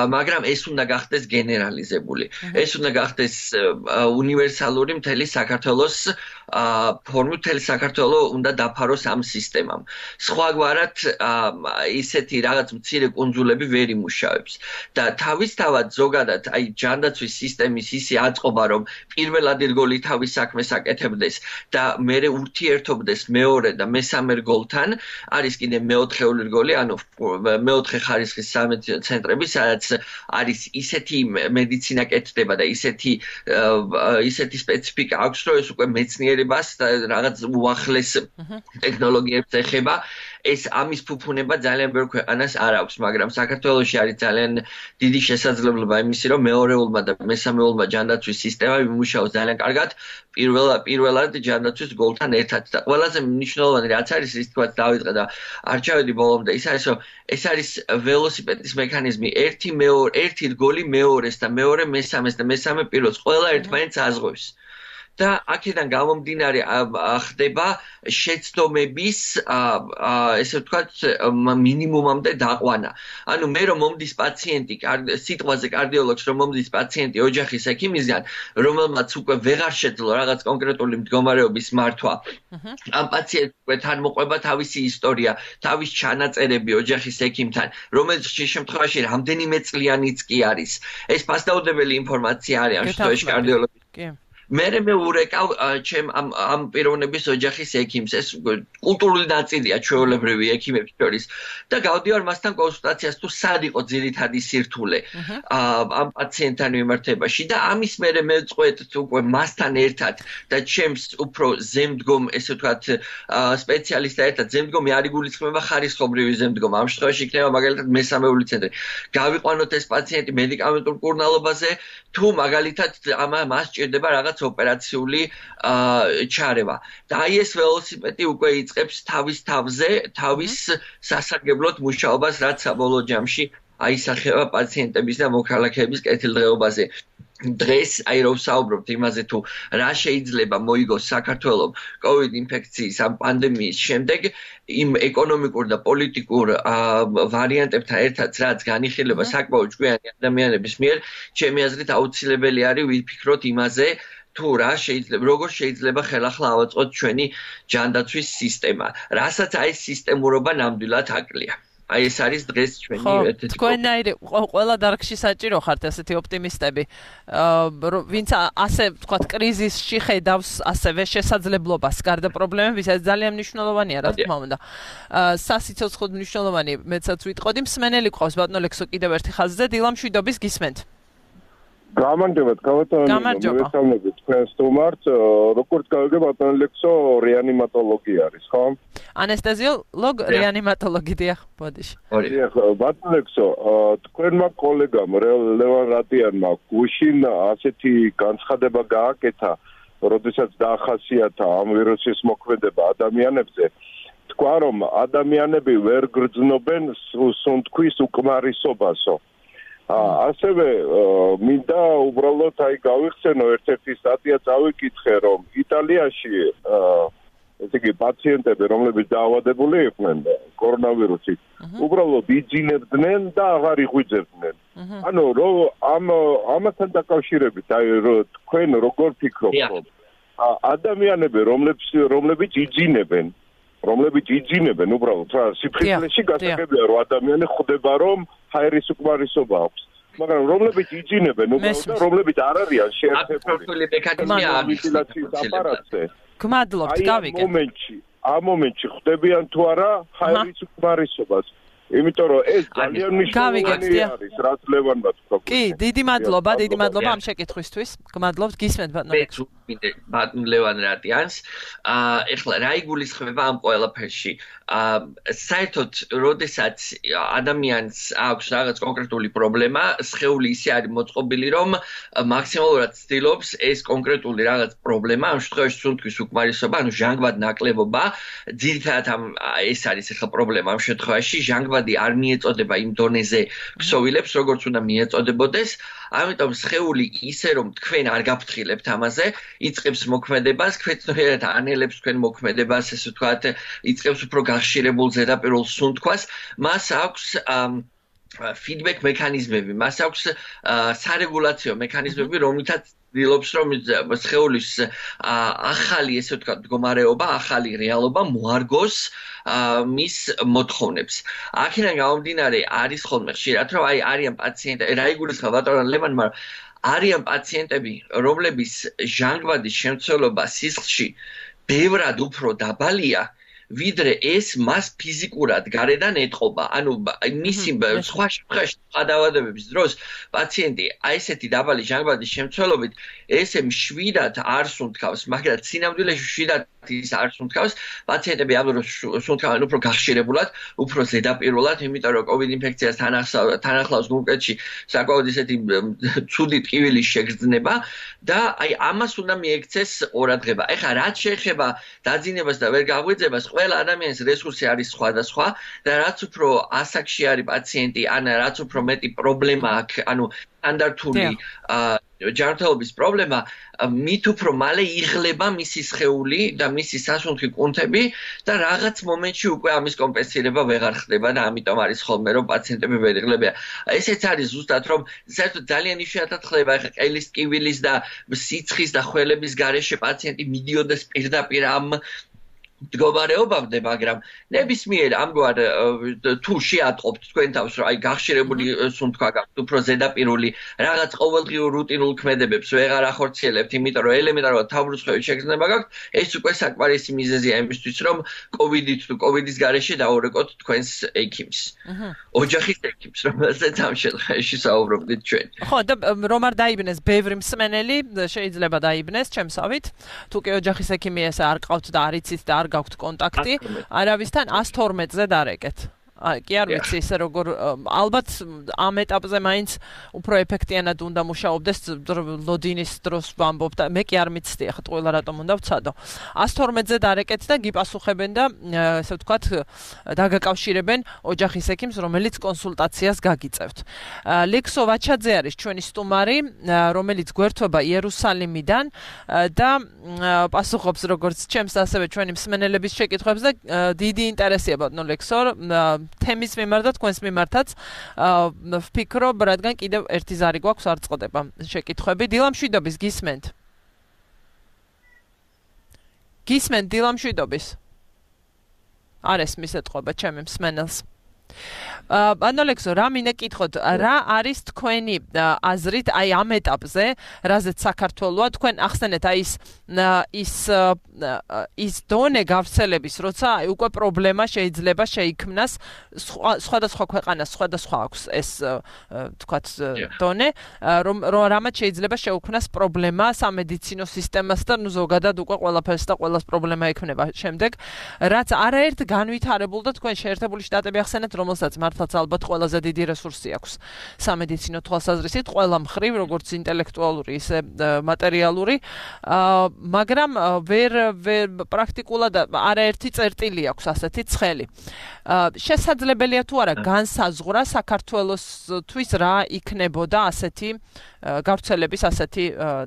მაგრამ ეს უნდა გახდეს გენერალიზებული. ეს უნდა გახდეს უნივერსალური მთელი საქართველოს ფორმით, მთელი საქართველო უნდა დაფაროს ამ სისტემამ. სხვაგვარად ისეთი რაღაც მცირე კუნძულები ვერ იმუშავებს. და თავისთავად ზოგადად აი ჯანდაცვის სისტემის ისე აწყობა, რომ პირველად რგოლი თავის საქმეს აკეთებდეს და მერე ურთიერთობდეს მეორე და მესამე რგოლთან, არის კიდე მეოთხე რგოლი, ანუ მეოთხე ხარისხის სამედიცინო ცენტრები, სადაც არის ისეთი მედიცინა კეთდება და ისეთი ისეთი სპეციფიკა აქვს, რომ ეს უკვე მეცნიერებას და რაღაც უახლეს ტექნოლოგიებს ეხება. ეს ამის ფუფუნება ძალიან ბევრ ქვეყანას არ აქვს, მაგრამ საქართველოში არის ძალიან დიდი შესაძლებლობა იმისი, რომ მეორეულმა და მესამეულმა ჯანდაცვის სისტემა იმუშაოს ძალიან კარგად პირველად ჯანდაცვის გოლთან ერთად. და ყველაზე მნიშვნელოვანი რაც არის, ის თქვა დავიწყე და არ ჩავედი ბოლომდე, ის არის, რომ ეს არის ველოსიპედის მექანიზმი, ერთი მეორე, ერთი რგოლი მეორეს და მეორე მესამეს და მესამე პირველს ყველა ერთმანეთს აზღვევს. და აქედან გამომდინარე ხდება შეცდომების ესე ვთქვათ მინიმუმამდე დაყვანა. ანუ მე რომ მომდის პაციენტი, სიტყვაზე კარდიოლოგს რომ მომდის პაციენტი ოჯახის ექიმისგან, რომელმაც უკვე ვეღარ შეძლო რაღაც კონკრეტული მდგომარეობის მართვა. ამ პაციენტს უკვე თან მოყვება თავისი ისტორია, თავის ჩანაწერები ოჯახის ექიმთან, რომელიც შემთხვევაში რამდენიმე წლიანიც კი არის. ეს ფასდაუდებელი ინფორმაცია არის ამ შემთხვევაში კარდიოლოგის. კი. მე მე ურეკავ ჩემ ამ ამ პიროვნების ოჯახის ექიმს, ეს კულტურული ნაწილია ჩვეულებრივი ექიმებს შორის და გავდივარ მასთან კონსულტაციას, თუ სად იყო ძირითადი სირთულე ამ პაციენტთან მიმართებაში და ამის მერე მეწყვეთ უკვე მასთან ერთად და ჩემს უფრო ზემდგომ, ესე ვთქვათ, სპეციალისტთან ერთად ზემდგომი არ იგულისხმება ხარისხობრივი ზემდგომა. ამ შემთხვევაში იქნება მაგალითად მესამეული ცენტრი. გავიყვანოთ ეს პაციენტი მედიკამენტურ მკურნალობაზე, თუ მაგალითად მას სჭირდება რაღაც ოპერაციული ჩარევა. და აი ეს ველოსიპედი უკვე იწყებს თავის თავზე, თავის სასარგებლოდ მუშაობას, რაც საბოლოო ჯამში აისახება პაციენტების და მოქალაქეების კეთილდღეობაზე. დღეს აი რომ ვსაუბრობთ იმაზე, თუ რა შეიძლება მოიგოს საქართველოს COVID ინფექციის ამ პანდემიის შემდეგ, იმ ეკონომიკურ და პოლიტიკურ ვარიანტებთან ერთად, რაც განიხილება საკმაოდ ჭკვიანი ადამიანების მიერ, ჩემი აზრით აუცილებელი არის ვიფიქროთ იმაზე, თუ რა შეიძლება, როგორ შეიძლება ხელახლა ავაწყოთ ჩვენი ჯანდაცვის სისტემა, რასაც აი სისტემურობა ნამდვილად აკლია. აი ეს არის დღეს ჩვენი ერთ-ერთი. თქვენაირი ყველა დარგში საჭირო ხართ ესეთი ოპტიმისტები, ვინც ასე ვთქვათ კრიზისში ხედავს ასევე შესაძლებლობას გარდა პრობლემების, ეს ძალიან მნიშვნელოვანია, რა თქმა უნდა. სასიცოცხლოდ მნიშვნელოვანი მეცაც ვიტყოდი, მსმენელი ყავს ბატონო ლექსო კიდევ ერთი ხაზზე, დილა მშვიდობის გისმენთ. გამარჯობა, ბატონო, მოგესალმებით თქვენ სტუმარს, როგორც გავიგე ბატონო ლექსო რეანიმატოლოგი არის, ხო? ანესთეზიოლოგ, რეანიმატოლოგი დიახ, ბოდიში. დიახ, ბატონო ლექსო, თქვენმა კოლეგამ ლევან რატიანმა გუშინ ასეთი განცხადება გააკეთა, როდესაც დაახასიათა ამ ვირუსის მოქმედება ადამიანებზე, თქვა რომ ადამიანები ვერ გრძნობენ სუნთქვის უკმარისობასო. ასევე მინდა უბრალოდ აი გავიხსენო ერთ-ერთი სტატია წავიკითხე რომ იტალიაში ესე იგი პაციენტები რომლებიც დაავადებული იყვნენ კორონავირუსით უბრალოდ იძინებდნენ და აღარ იღვიძებდნენ ანუ რომ ამ ამასთან დაკავშირებით აი თქვენ როგორ ფიქრობთ რომ ადამიანები რომლებიც რომლებიც იძინებენ რომლებიც იძინებენ უბრალოდ რა სიფრთხილეში გასაგებია რომ ადამიანი ხვდება რომ ჰაერის უკმარისობა აქვს მაგრამ რომლებიც იძინებენ უბრალოდ რომლებიც არ არიან შეერთებული მექანიზმის აპარატზე გმადლობთ გავიგე ამ მომენტში ამ მომენტში ხვდებიან თუ არა ჰაერის უკმარისობას იმიტომ რომ ეს ძალიან მნიშვნელოვანი არის რაც ლევანმა თქვა კი დიდი მადლობა დიდი მადლობა ამ შეკითხვისთვის გმადლობთ გისმენთ ბატონო ლექსო ბატონ ლევან რატიანს აა ეხლა რა იგულისხმება ამ ყველაფერში აა საერთოდ როდესაც ადამიანს აქვს რაღაც კონკრეტული პრობლემა სხეული ისე არის მოწყობილი რომ მაქსიმალურად ცდილობს ეს კონკრეტული რაღაც პრობლემა ამ შემთხვევაში სუნთქვის უკმარისობა ანუ ჟანგბად ნაკლებობა ძირითადად ამ ეს არის ეხლა პრობლემა ამ შემთხვევაში ჟანგბადი არ მიეწოდება იმ დონეზე ქსოვილებს როგორც უნდა მიეწოდებოდეს ამიტომ სხეული ისე რომ თქვენ არ გაფრთხილებთ ამაზე იწყებს მოქმედებას, ქვეწნიერად ანელებს თქვენ მოქმედებას, ესე ვთქვათ, იწყებს უფრო გახშირებულ ზედაპირულ სუნთქვას, მას აქვს feedback მექანიზმები, მას აქვს სარეგულაციო მექანიზმები, რომლითაც ცდილობს რომ სხეულის ახალი, ესე ვთქვათ, მდგომარეობა, ახალი რეალობა მოარგოს მის მოთხოვნებს. აქედან გამომდინარე არის ხოლმე ხშირად რომ აი არიან პაციენტები, რა იგულისხმება ბატონო ლევანმა არიან პაციენტები, რომლების ჟანგბადის შემცველობა სისხლში ბევრად უფრო დაბალია, ვიდრე ეს მას ფიზიკურად გარედან ეტყობა. ანუ მისი სხვა შემთხვევაში დაავადებების დროს პაციენტი აი ესეთი დაბალი ჟანგბადის შემცველობით ესე მშვიდად არ სუნთქავს, მაგრამ სინამდვილეში მშვიდად ის არ სუნთქავს, პაციენტები ამ დროს სუნთქავენ უფრო გახშირებულად, უფრო ზედაპირულად, იმიტომ რომ COVID ინფექციას თან ახლავს ნულკეთში საკმაოდ ისეთი ცუდი ტკივილის შეგრძნება და აი ამას უნდა მიექცეს ყურადღება. ეხლა რაც შეეხება დაძინებას და ვერ გაღვიძებას, ყველა ადამიანის რესურსი არის სხვადასხვა და რაც უფრო ასაკში არის პაციენტი, ან რაც უფრო მეტი პრობლემა აქვს, ანუ სტანდარტული ჯანმრთელობის პრობლემა, მით უფრო მალე იღლება მისი სხეული და მისი სასუნთქი კუნთები და რაღაც მომენტში უკვე ამის კომპენსირება ვეღარ ხდება და ამიტომ არის ხოლმე რომ პაციენტები ვერ იღლებიან. ესეც არის ზუსტად რომ საერთოდ ძალიან იშვიათად ხდება ეხლა ყელის ტკივილის და სიცხის და ხველების გარეშე პაციენტი მიდიოდეს პირდაპირ ამ მდგომარეობამდე, მაგრამ ნებისმიერ ამგვარ თუ შეატყობთ თქვენ თავს, რომ აი გახშირებული სუნთქვა გაქვთ, უფრო ზედაპირული, რაღაც ყოველდღიურ რუტინულ ქმედებებს ვეღარ ახორციელებთ, იმიტომ რომ ელემენტარულად თავბრუწყების შეგრძნება გაქვთ, ეს უკვე საკმარისი მიზეზია იმისთვის, რომ კოვიდით თუ კოვიდის გარეშე დაურეკოთ თქვენს ექიმს. ოჯახის ექიმს, რომელზეც ამ შემთხვევაში საუბრობდით ჩვენ. ხო, და რომ არ დაიბნეს ბევრი მსმენელი, შეიძლება დაიბნეს ჩემსავით, თუ კი ოჯახის ექიმი ეს არ ყავთ და არ იცით და არ გაქვთ კონტაქტი, არავისთან one twelve-ზე დარეკეთ. კი არ ვიცი ისე როგორ ალბათ ამ ეტაპზე მაინც უფრო ეფექტიანად უნდა მუშაობდეს ლოდინის დროს ვამბობ და მე კი არ მიცდი ახლა ყველა რატომ უნდა ვცადო. one twelve-ზე დარეკეთ და გიპასუხებენ და ესე ვთქვათ დაგაკავშირებენ ოჯახის ექიმს, რომელიც კონსულტაციას გაგიწევთ. ლექსო ვაჩაძე არის ჩვენი სტუმარი, რომელიც გვერდება იერუსალიმიდან და პასუხობს როგორც ჩემს ასევე ჩვენი მსმენელების შეკითხვებს და დიდი ინტერესია ბატონო ლექსო თემის მიმართ და თქვენს მიმართაც ვფიქრობ, რადგან კიდევ ერთი ზარი გვაქვს არ წყდება შეკითხვები. დილამშვიდობის გისმენთ. გისმენთ დილამშვიდობის. არ ესმის ეთყობა ჩემი მსმენელს. ბატონო ლექსო, რა მინდა გითხოთ, რა არის თქვენი აზრით აი ამ ეტაპზე, რაზეც საქართველოა, თქვენ ახსენეთ აი ის ის ის დონე გავრცელების, როცა აი უკვე პრობლემა შეიძლება შეიქმნას სხვადასხვა ქვეყანას, სხვადასხვა აქვს ეს თქვათ დონე, რომ რამაც შეიძლება შეუქმნას პრობლემა სამედიცინო სისტემასთან, ნუ ზოგადად უკვე ყველაფერს და ყველას პრობლემა ექმნება შემდეგ, რაც არაერთ განვითარებულ და თქვენ შეერთებული შტატები ახსენეთ, რომელსაც მართლაც ალბათ ყველაზე დიდი რესურსი აქვს სამედიცინო თვალსაზრისით, ყველა მხრივ, როგორც ინტელექტუალური, ისე მატერიალური, მაგრამ ვერ პრაქტიკულად არაერთი წერტილი აქვს ასეთი ცხელი. შესაძლებელია თუ არა განსაზღვრა საქართველოსთვის რა იქნებოდა ასეთი გავრცელების ასეთი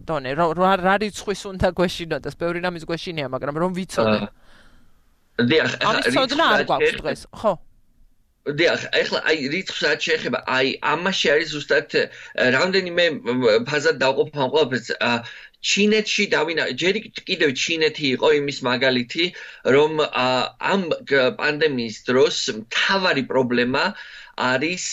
დონე, რა რიცხვის უნდა გვეშინოდეს, ბევრი რამის გვეშინია, მაგრამ რომ ვიცოდე. დიახ, ამის ცოდნა არ გვაქვს დღეს, ხო? დიახ, ეხლა აი რიცხვს რაც შეეხება, აი ამაში არის ზუსტად რამდენიმე ფაზად დავყოფა ყველაფერს. ჩინეთში დავინა, ჯერ კიდევ ჩინეთი იყო იმის მაგალითი, რომ ამ პანდემიის დროს მთავარი პრობლემა არის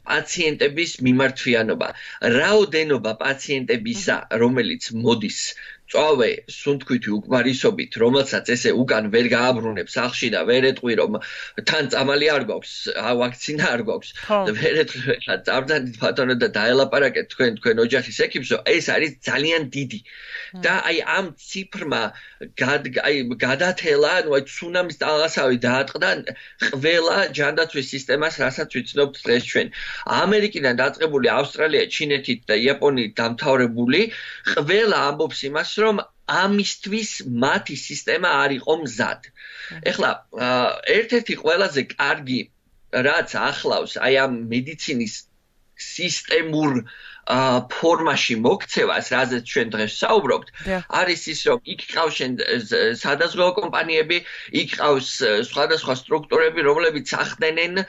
პაციენტების მიმართვიანობა. რაოდენობა პაციენტებისა, რომელიც მოდის წავე სუნთქვითი უკმარისობით, რომელსაც ესე უკან ვერ გააბრუნებს სახლში და ვერ ეტყვი, რომ თან წამალი არ გვაქვს, ვაქცინა არ გვაქვს. ვერ ეტყვი, ხა წავდანით ბატონო და დაელაპარაკეთ თქვენ თქვენ ოჯახის ეკიპსო, ეს არის ძალიან დიდი. და აი ამ ციფრმა აი გადათელა, ანუ აი ცუნამის ტალღასავი დაატყდა ყველა ჯანდაცვის სისტემას, რასაც ვიცნობთ დღეს ჩვენ. ამერიკიდან დაწყებული ავსტრალია, ჩინეთი და იაპონიით დამთავრებული, ყველა ამბობს იმას, რომ ამისთვის მათი სისტემა არ იყო მზად. ეხლა ერთ-ერთი ყველაზე კარგი რაც ახლავს აი ამ მედიცინის სისტემურ ფორმაში მოქცევას, რაზეც ჩვენ დღეს საუბრობთ, არის ის, რომ იქ ყავს სადაზღვევო კომპანიები, იქ ყავს სხვადასხვა სტრუქტურები, რომლებიც ახდენენ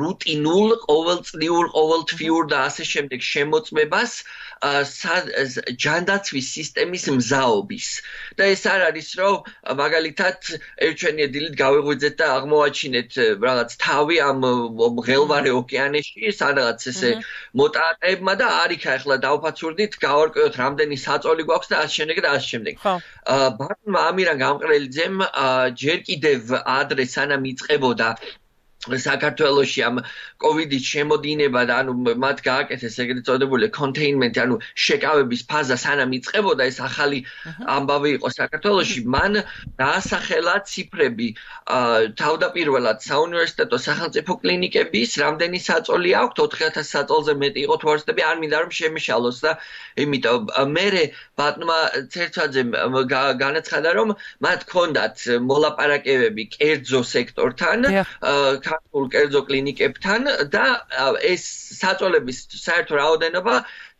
რუტინულ, ყოველწლიურ, ყოველთვიურ და ასე შემდეგ შემოწმებას ჯანდაცვის სისტემის მზაობის. და ეს არ არის, რომ მაგალითად ერთჩვენია დილით გავიღვიძეთ და აღმოვაჩინეთ რაღაც თავი ამ მღელვარე ოკეანეში, სადღაც ესე მოტაატებმა და არიქა ახლა დავფაცურდით, გავარკვევთ რამდენი საწოლი გვაქვს და ასე შემდეგ და ასე შემდეგ. ბატონმა ამირან გამყრელიძემ ჯერ კიდევ ადრე სანამ იწყებოდა საქართველოში ამ კოვიდის შემოდინება და ანუ მათ გააკეთეს ეგრეთ წოდებული კონტეინმენტი, ანუ შეკავების ფაზა სანამ იწყებოდა, ეს ახალი ამბავი იყო საქართველოში, მან დაასახელა ციფრები თავდაპირველად საუნივერსიტეტო სახელმწიფო კლინიკების, რამდენი საწოლი აქვთ, ოთხი ათას საწოლზე მეტი იყო თუ არ ვცდები, არ მინდა რომ შემეშალოს და იმიტომ მერე ბატონმა ცერცვაძემ განაცხადა, რომ მათ ჰქონდათ მოლაპარაკებები კერძო სექტორთან, ქართულ კერძო კლინიკებთან და ეს საწოლების საერთო რაოდენობა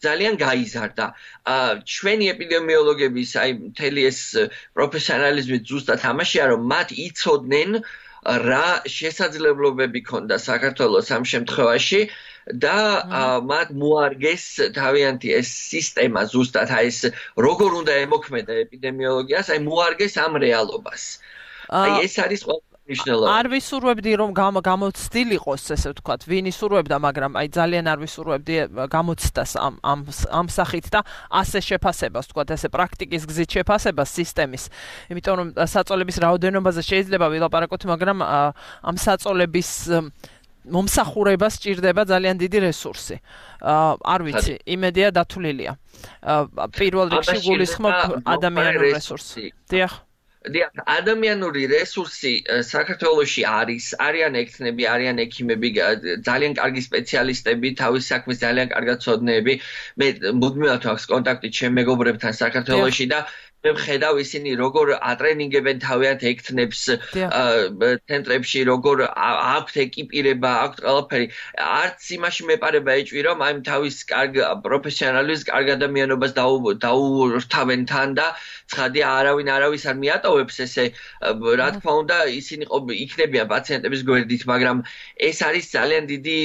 ძალიან გაიზარდა. ჩვენი ეპიდემიოლოგების აი მთელი ეს პროფესიონალიზმი ზუსტად ამაშია, რომ მათ იცოდნენ რა შესაძლებლობები ქონდა საქართველოს ამ შემთხვევაში და მათ მოარგეს თავიანთი ეს სისტემა ზუსტად აი ეს როგორ უნდა ემოქმედა ეპიდემიოლოგიას, აი მოარგეს ამ რეალობას. აი ეს არის არ ვისურვებდი რომ გამოცდილიყოს, ესე ვთქვათ, ვინ ისურვებდა, მაგრამ აი ძალიან არ ვისურვებდი გამოცდას ამ ამ ამ სახით და ასე შეფასებას, ვთქვათ, ესე პრაქტიკის გზით შეფასებას სისტემის. იმიტომ რომ საწოლების რაოდენობაზე შეიძლება ვილაპარაკოთ, მაგრამ ამ საწოლების მომსახურებას სჭირდება ძალიან დიდი რესურსი. არ ვიცი, იმედია დათვლილია. პირველ რიგში გულისხმობ ადამიანურ რესურსს. დიახ. დიახ, ადამიანური რესურსი საქართველოში არის, არიან ექთნები, არიან ექიმები, ძალიან კარგი სპეციალისტები, თავის საქმის ძალიან კარგად ცოდნეები. მე მუდმივად აქვს კონტაქტი ჩემ მეგობრებთან საქართველოში და მე ვხედავ ისინი როგორ ატრენინგებენ თავიანთ ექთნებს ცენტრებში, როგორ აქვთ ეკიპირება, აქვთ ყველაფერი. არც იმაში მეპარება ეჭვი, რომ აი თავის კარგ პროფესიონალის, კარგ ადამიანობას დაურთავენ თან და ცხადია არავინ არავის არ მიატოვებს ესე, რა თქმა უნდა, ისინი იქნებიან პაციენტების გვერდით, მაგრამ ეს არის ძალიან დიდი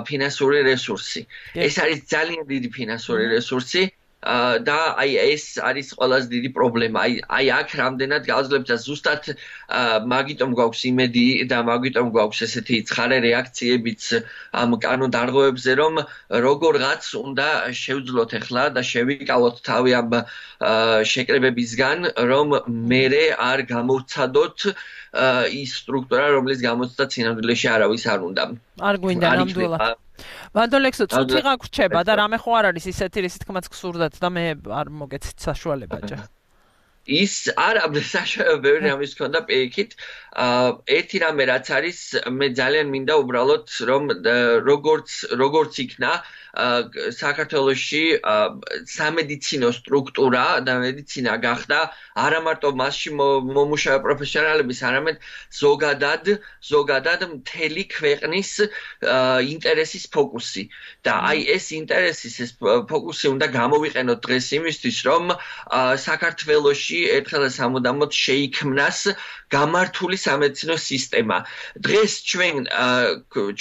ფინანსური რესურსი. ეს არის ძალიან დიდი ფინანსური რესურსი. და აი ეს არის ყველაზე დიდი პრობლემა. აი აი აქ რამდენად გავძლებთ და ზუსტად მაგიტომ გვაქვს იმედი და მაგიტომ გვაქვს ესეთი ცხარე რეაქციებიც ამ კანონდარღვევებზე, რომ როგორღაც უნდა შევძლოთ ახლა და შევიკავოთ თავი ამ შეკრებებისგან, რომ მერე არ გამოვცადოთ ის სტრუქტურა, რომელიც გამოცდა წინამძღოლში არავის არ უნდა. არ გვინდა ნამდვილად. ვანდოლექსო, წუთი გაგვრჩება და რამე ხო არ არის ისეთი, რის თქმაც გსურდათ და მე არ მოგეცით საშუალება ჯერ. ის არა საშუალება ბევრი რამის ქონდა პირიქით. ერთი რამე რაც არის, მე ძალიან მინდა უბრალოდ რომ როგორც როგორც იქნა საქართველოში სამედიცინო სტრუქტურა და მედიცინა გახდა არა მარტო მასში მომუშავე პროფესიონალების, არამედ ზოგადად ზოგადად მთელი ქვეყნის ინტერესის ფოკუსი. და აი ეს ინტერესის ეს ფოკუსი უნდა გამოვიყენოთ დღეს იმისთვის, რომ საქართველოში ერთხელ და სამუდამოდ შეიქმნას გამართული სამედიცინო სისტემა. დღეს ჩვენ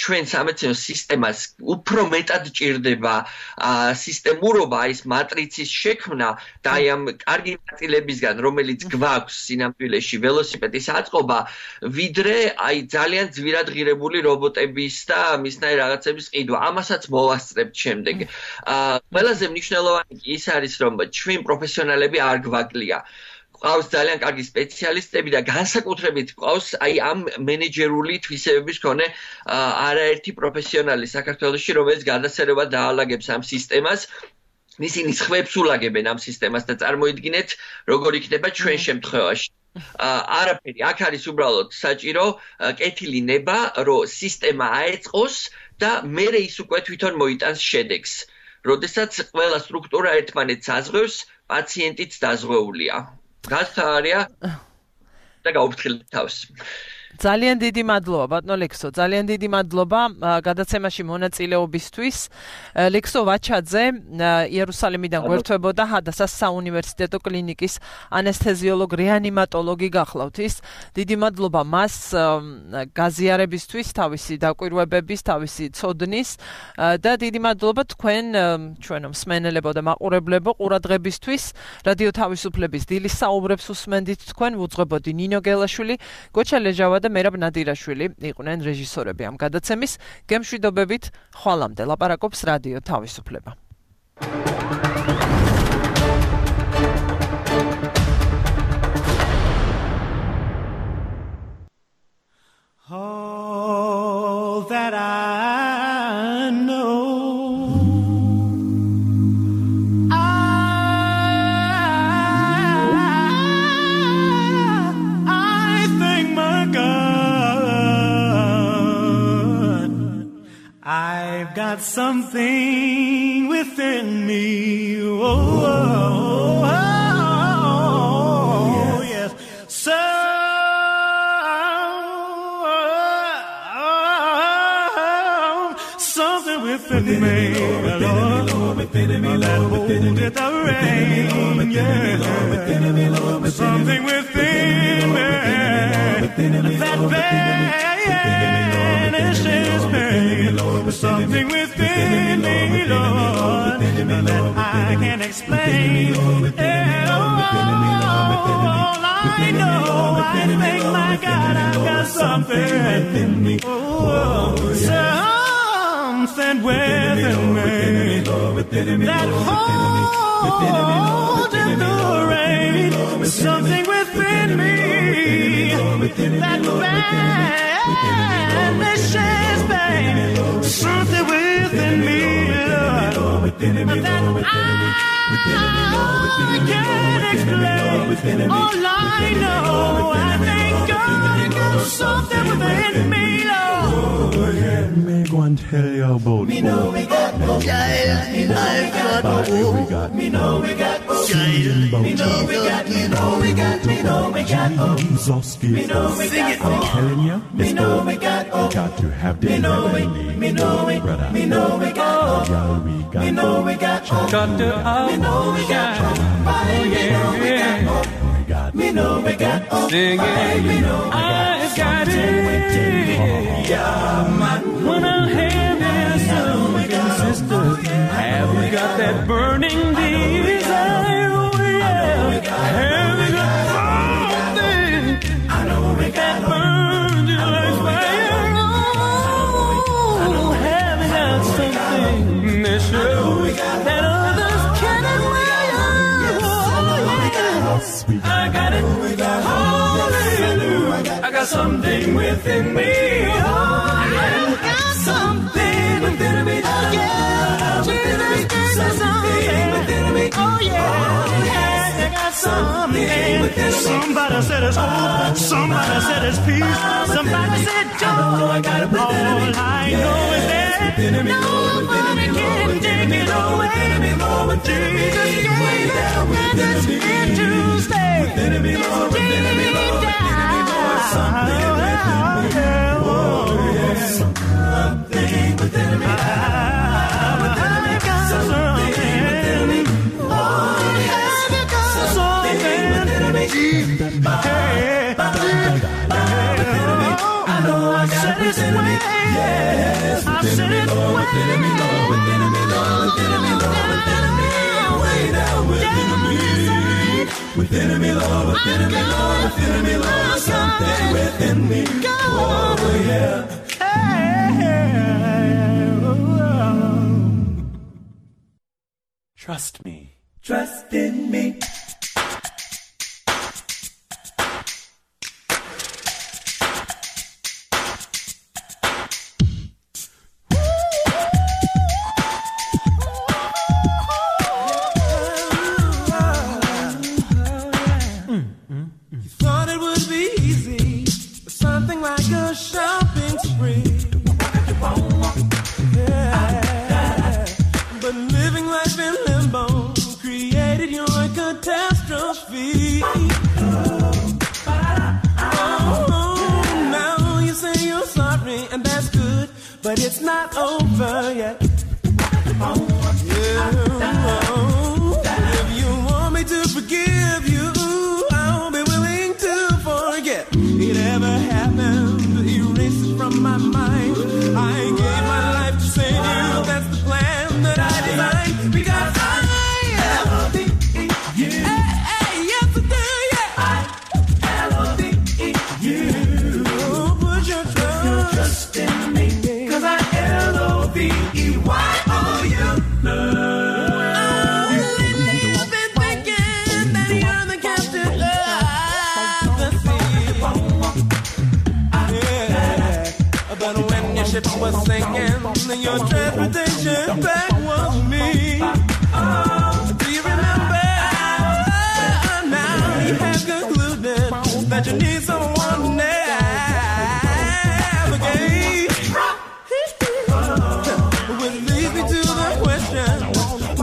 ჩვენ სამედიცინო სისტემას უფრო მეტად ჭირდება სისტემურობა, ის მატრიცის შექმნა და აი ამ კარგი ნაწილებისგან, რომელიც გვაქვს სინამდვილეში ველოსიპედის აწყობა, ვიდრე აი ძალიან ძვირად ღირებული რობოტების და მისნაირ რაღაცების ყიდვა. ამასაც მოვასწრებთ შემდეგ. ყველაზე მნიშვნელოვანი ის არის, რომ ჩვენ პროფესიონალები არ გვაკლია. ყავს ძალიან კარგი სპეციალისტები და განსაკუთრებით ყავს აი ამ მენეჯერული თვისებების მქონე არაერთი პროფესიონალი საქართველოში, რომელიც გადასერება დაალაგებს ამ სისტემას. ისინი ხვებს ულაგებენ ამ სისტემას და წარმოიდგინეთ, როგორ იქნება ჩვენ შემთხვევაში. არაფერი, აქ არის უბრალოდ საჭირო კეთილი ნება, რომ სისტემა აეწყოს და მერე ის უკვე თვითონ მოიტანს შედეგს. როდესაც ყველა სტრუქტურა ერთმანეთს აზღვევს, პაციენტიც დაზღვეულია. გასწარია და გაუფრთხილეთ თავს. ძალიან დიდი მადლობა ბატონო ლექსო, ძალიან დიდი მადლობა გადაცემაში მონაწილეობისთვის. ლექსო ვაჩაძე იერუსალიმიდან გვერდთვებოდა ჰადასას საუნივერსიტეტო კლინიკის ანესთეზიოლოგ რეანიმატოლოგი გახლავთ ის. დიდი მადლობა მას გაზიარებისთვის, თავისი დაკვირვებების, თავისი ცოდნის და დიდი მადლობა თქვენ ჩვენო მსმენელებო და მაყურებლებო ყურადღებისთვის. რადიო თავისუფლების დილის საუბრებს უსმენდით თქვენ, ვუძღვებოდი ნინო გელაშვილი, გოჩა ლეჟავა და მერაბ ნადირაშვილი იყვნენ რეჟისორები ამ გადაცემის. გემშვიდობებით, ხვალამდე ლაპარაკობს რადიო თავისუფლება. All that I know, I've got something within me. Oh, oh, oh, oh yes. So, something within me, Lord, that holdeth the rain. Yeah, something within me that banishes pain. Something within me, Lord, that I can't explain. And all I know, I think, my God, I've got something within me. Oh, something within me that holds in the rain. Something within me that vanishes pain. Something within me, Lord, that I can't explain. All I know, I thank God I got something within me, Lord. Go ahead, me go and tell you about me know we got hope. Me know we got hope. Me know we got hope. Me know we got, me know we got, me know we got hope. Jesus Me know we got I'm telling you, me know we got hope. got to have the Me know we, me know we, me know we got hope. we got Me know we got hope. Got to Me know we got hope. Me know we got hope. we got Me know we got hope. Sing it. Me know we got I got it. Yeah, man. When I have this, sister, have we got that burning deal? show that others can admire. I got it. Hallelujah. I got something within me. Oh, I got something within me. Oh, yeah. Jesus gave me something within me. Oh, yeah. I got something within me. Somebody said it's hope. Somebody said it's peace. Somebody said joy. I got it within me. All I know is that nobody can take it away. Jesus gave it and it's here to stay. Within me, Lord, within me, Lord, within me, Lord, something within me. Oh, yeah. Something within me. Within me, something within me. Oh, yeah. Something within me. I know I got it within me. Yes, within me, Lord, within me, Lord, within me, Lord, within me, Lord, within me. Way down within me. Within me, Lord, within me, Lord, within me, Lord, something within me. Oh, yeah. Trust me. Trust in me. But it's not over yet. Yeah. If you want me to forgive you, I'll be willing to forget it ever happened. Erase it from my mind. I gave my life to save you. That's the plan that I designed. Because I love you. Hey, hey, yes I do, yeah. I love you. Put your trust, trust in me. Was sinking, and your transportation back was me. Oh, do you remember? Oh, now you have concluded that you need someone to navigate. Which leads me to the question: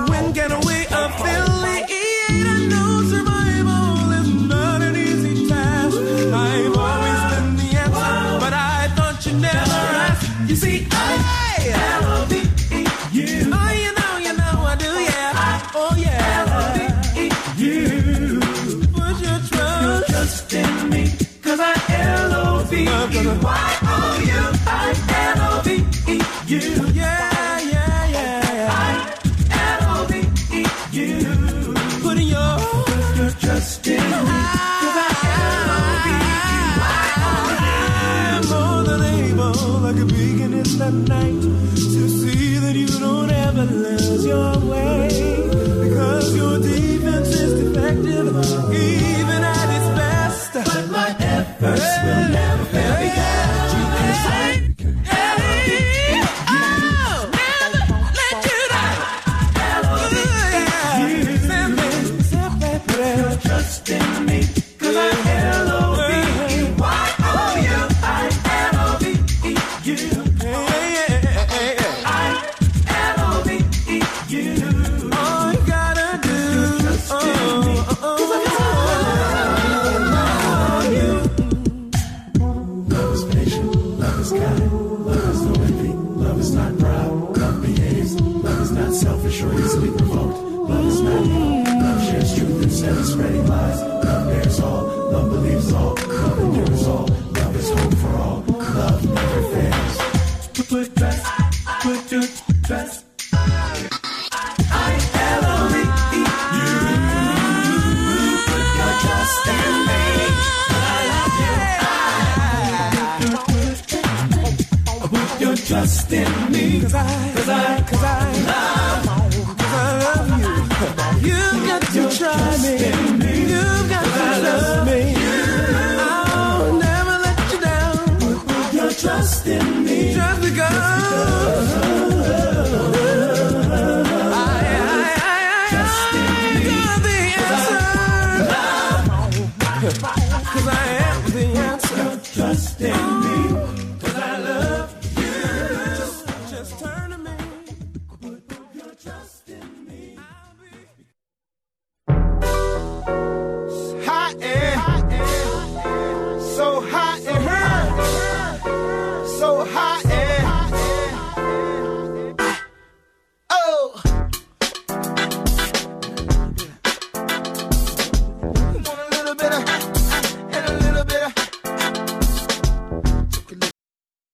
when can we affiliate? I know survival is not an easy task. I've always been the answer, but I thought you never asked. You see, I love you. Oh, you know, you know I do, yeah. Oh, yeah. I love you. Put your trust, trust in me. Cause I L O V E Y O U. I L O V E U. Yeah, yeah, yeah. I L O V E U. Put your, your trust in me. Cause I L O V E Y O U. I'm more than able, like a beacon in the night, to see that you don't ever lose your way. Because your defense is defective, even at its best. But my efforts hey, will never fail hey, because you can say, hey, oh, never let you down. Trust in me, cause I L O V E Y O U. I L O V E U. I L O V E U. All you gotta do, trust in me, cause I love you. Love is patient, love is kind, love is no envy, love is not proud, love behaves, love is not selfish or easily provoked, love is not evil, love shares truth instead of spreading lies, love bears all, love believes all, love endures all, love is hope for all, love never fails. Put trust, put your trust. I L O V E U. Put your trust in me. I love you. Put your trust in me. Cause I, cause I, cause I love, cause I love you. You've got to try me. You've got to trust me. I'll never let you down. Put your trust in me. Just because. Cause I am the answer. Trust in me. Cause I love you. Just, just turn to me. Put your trust in me. Hot air. So hot in her. So hot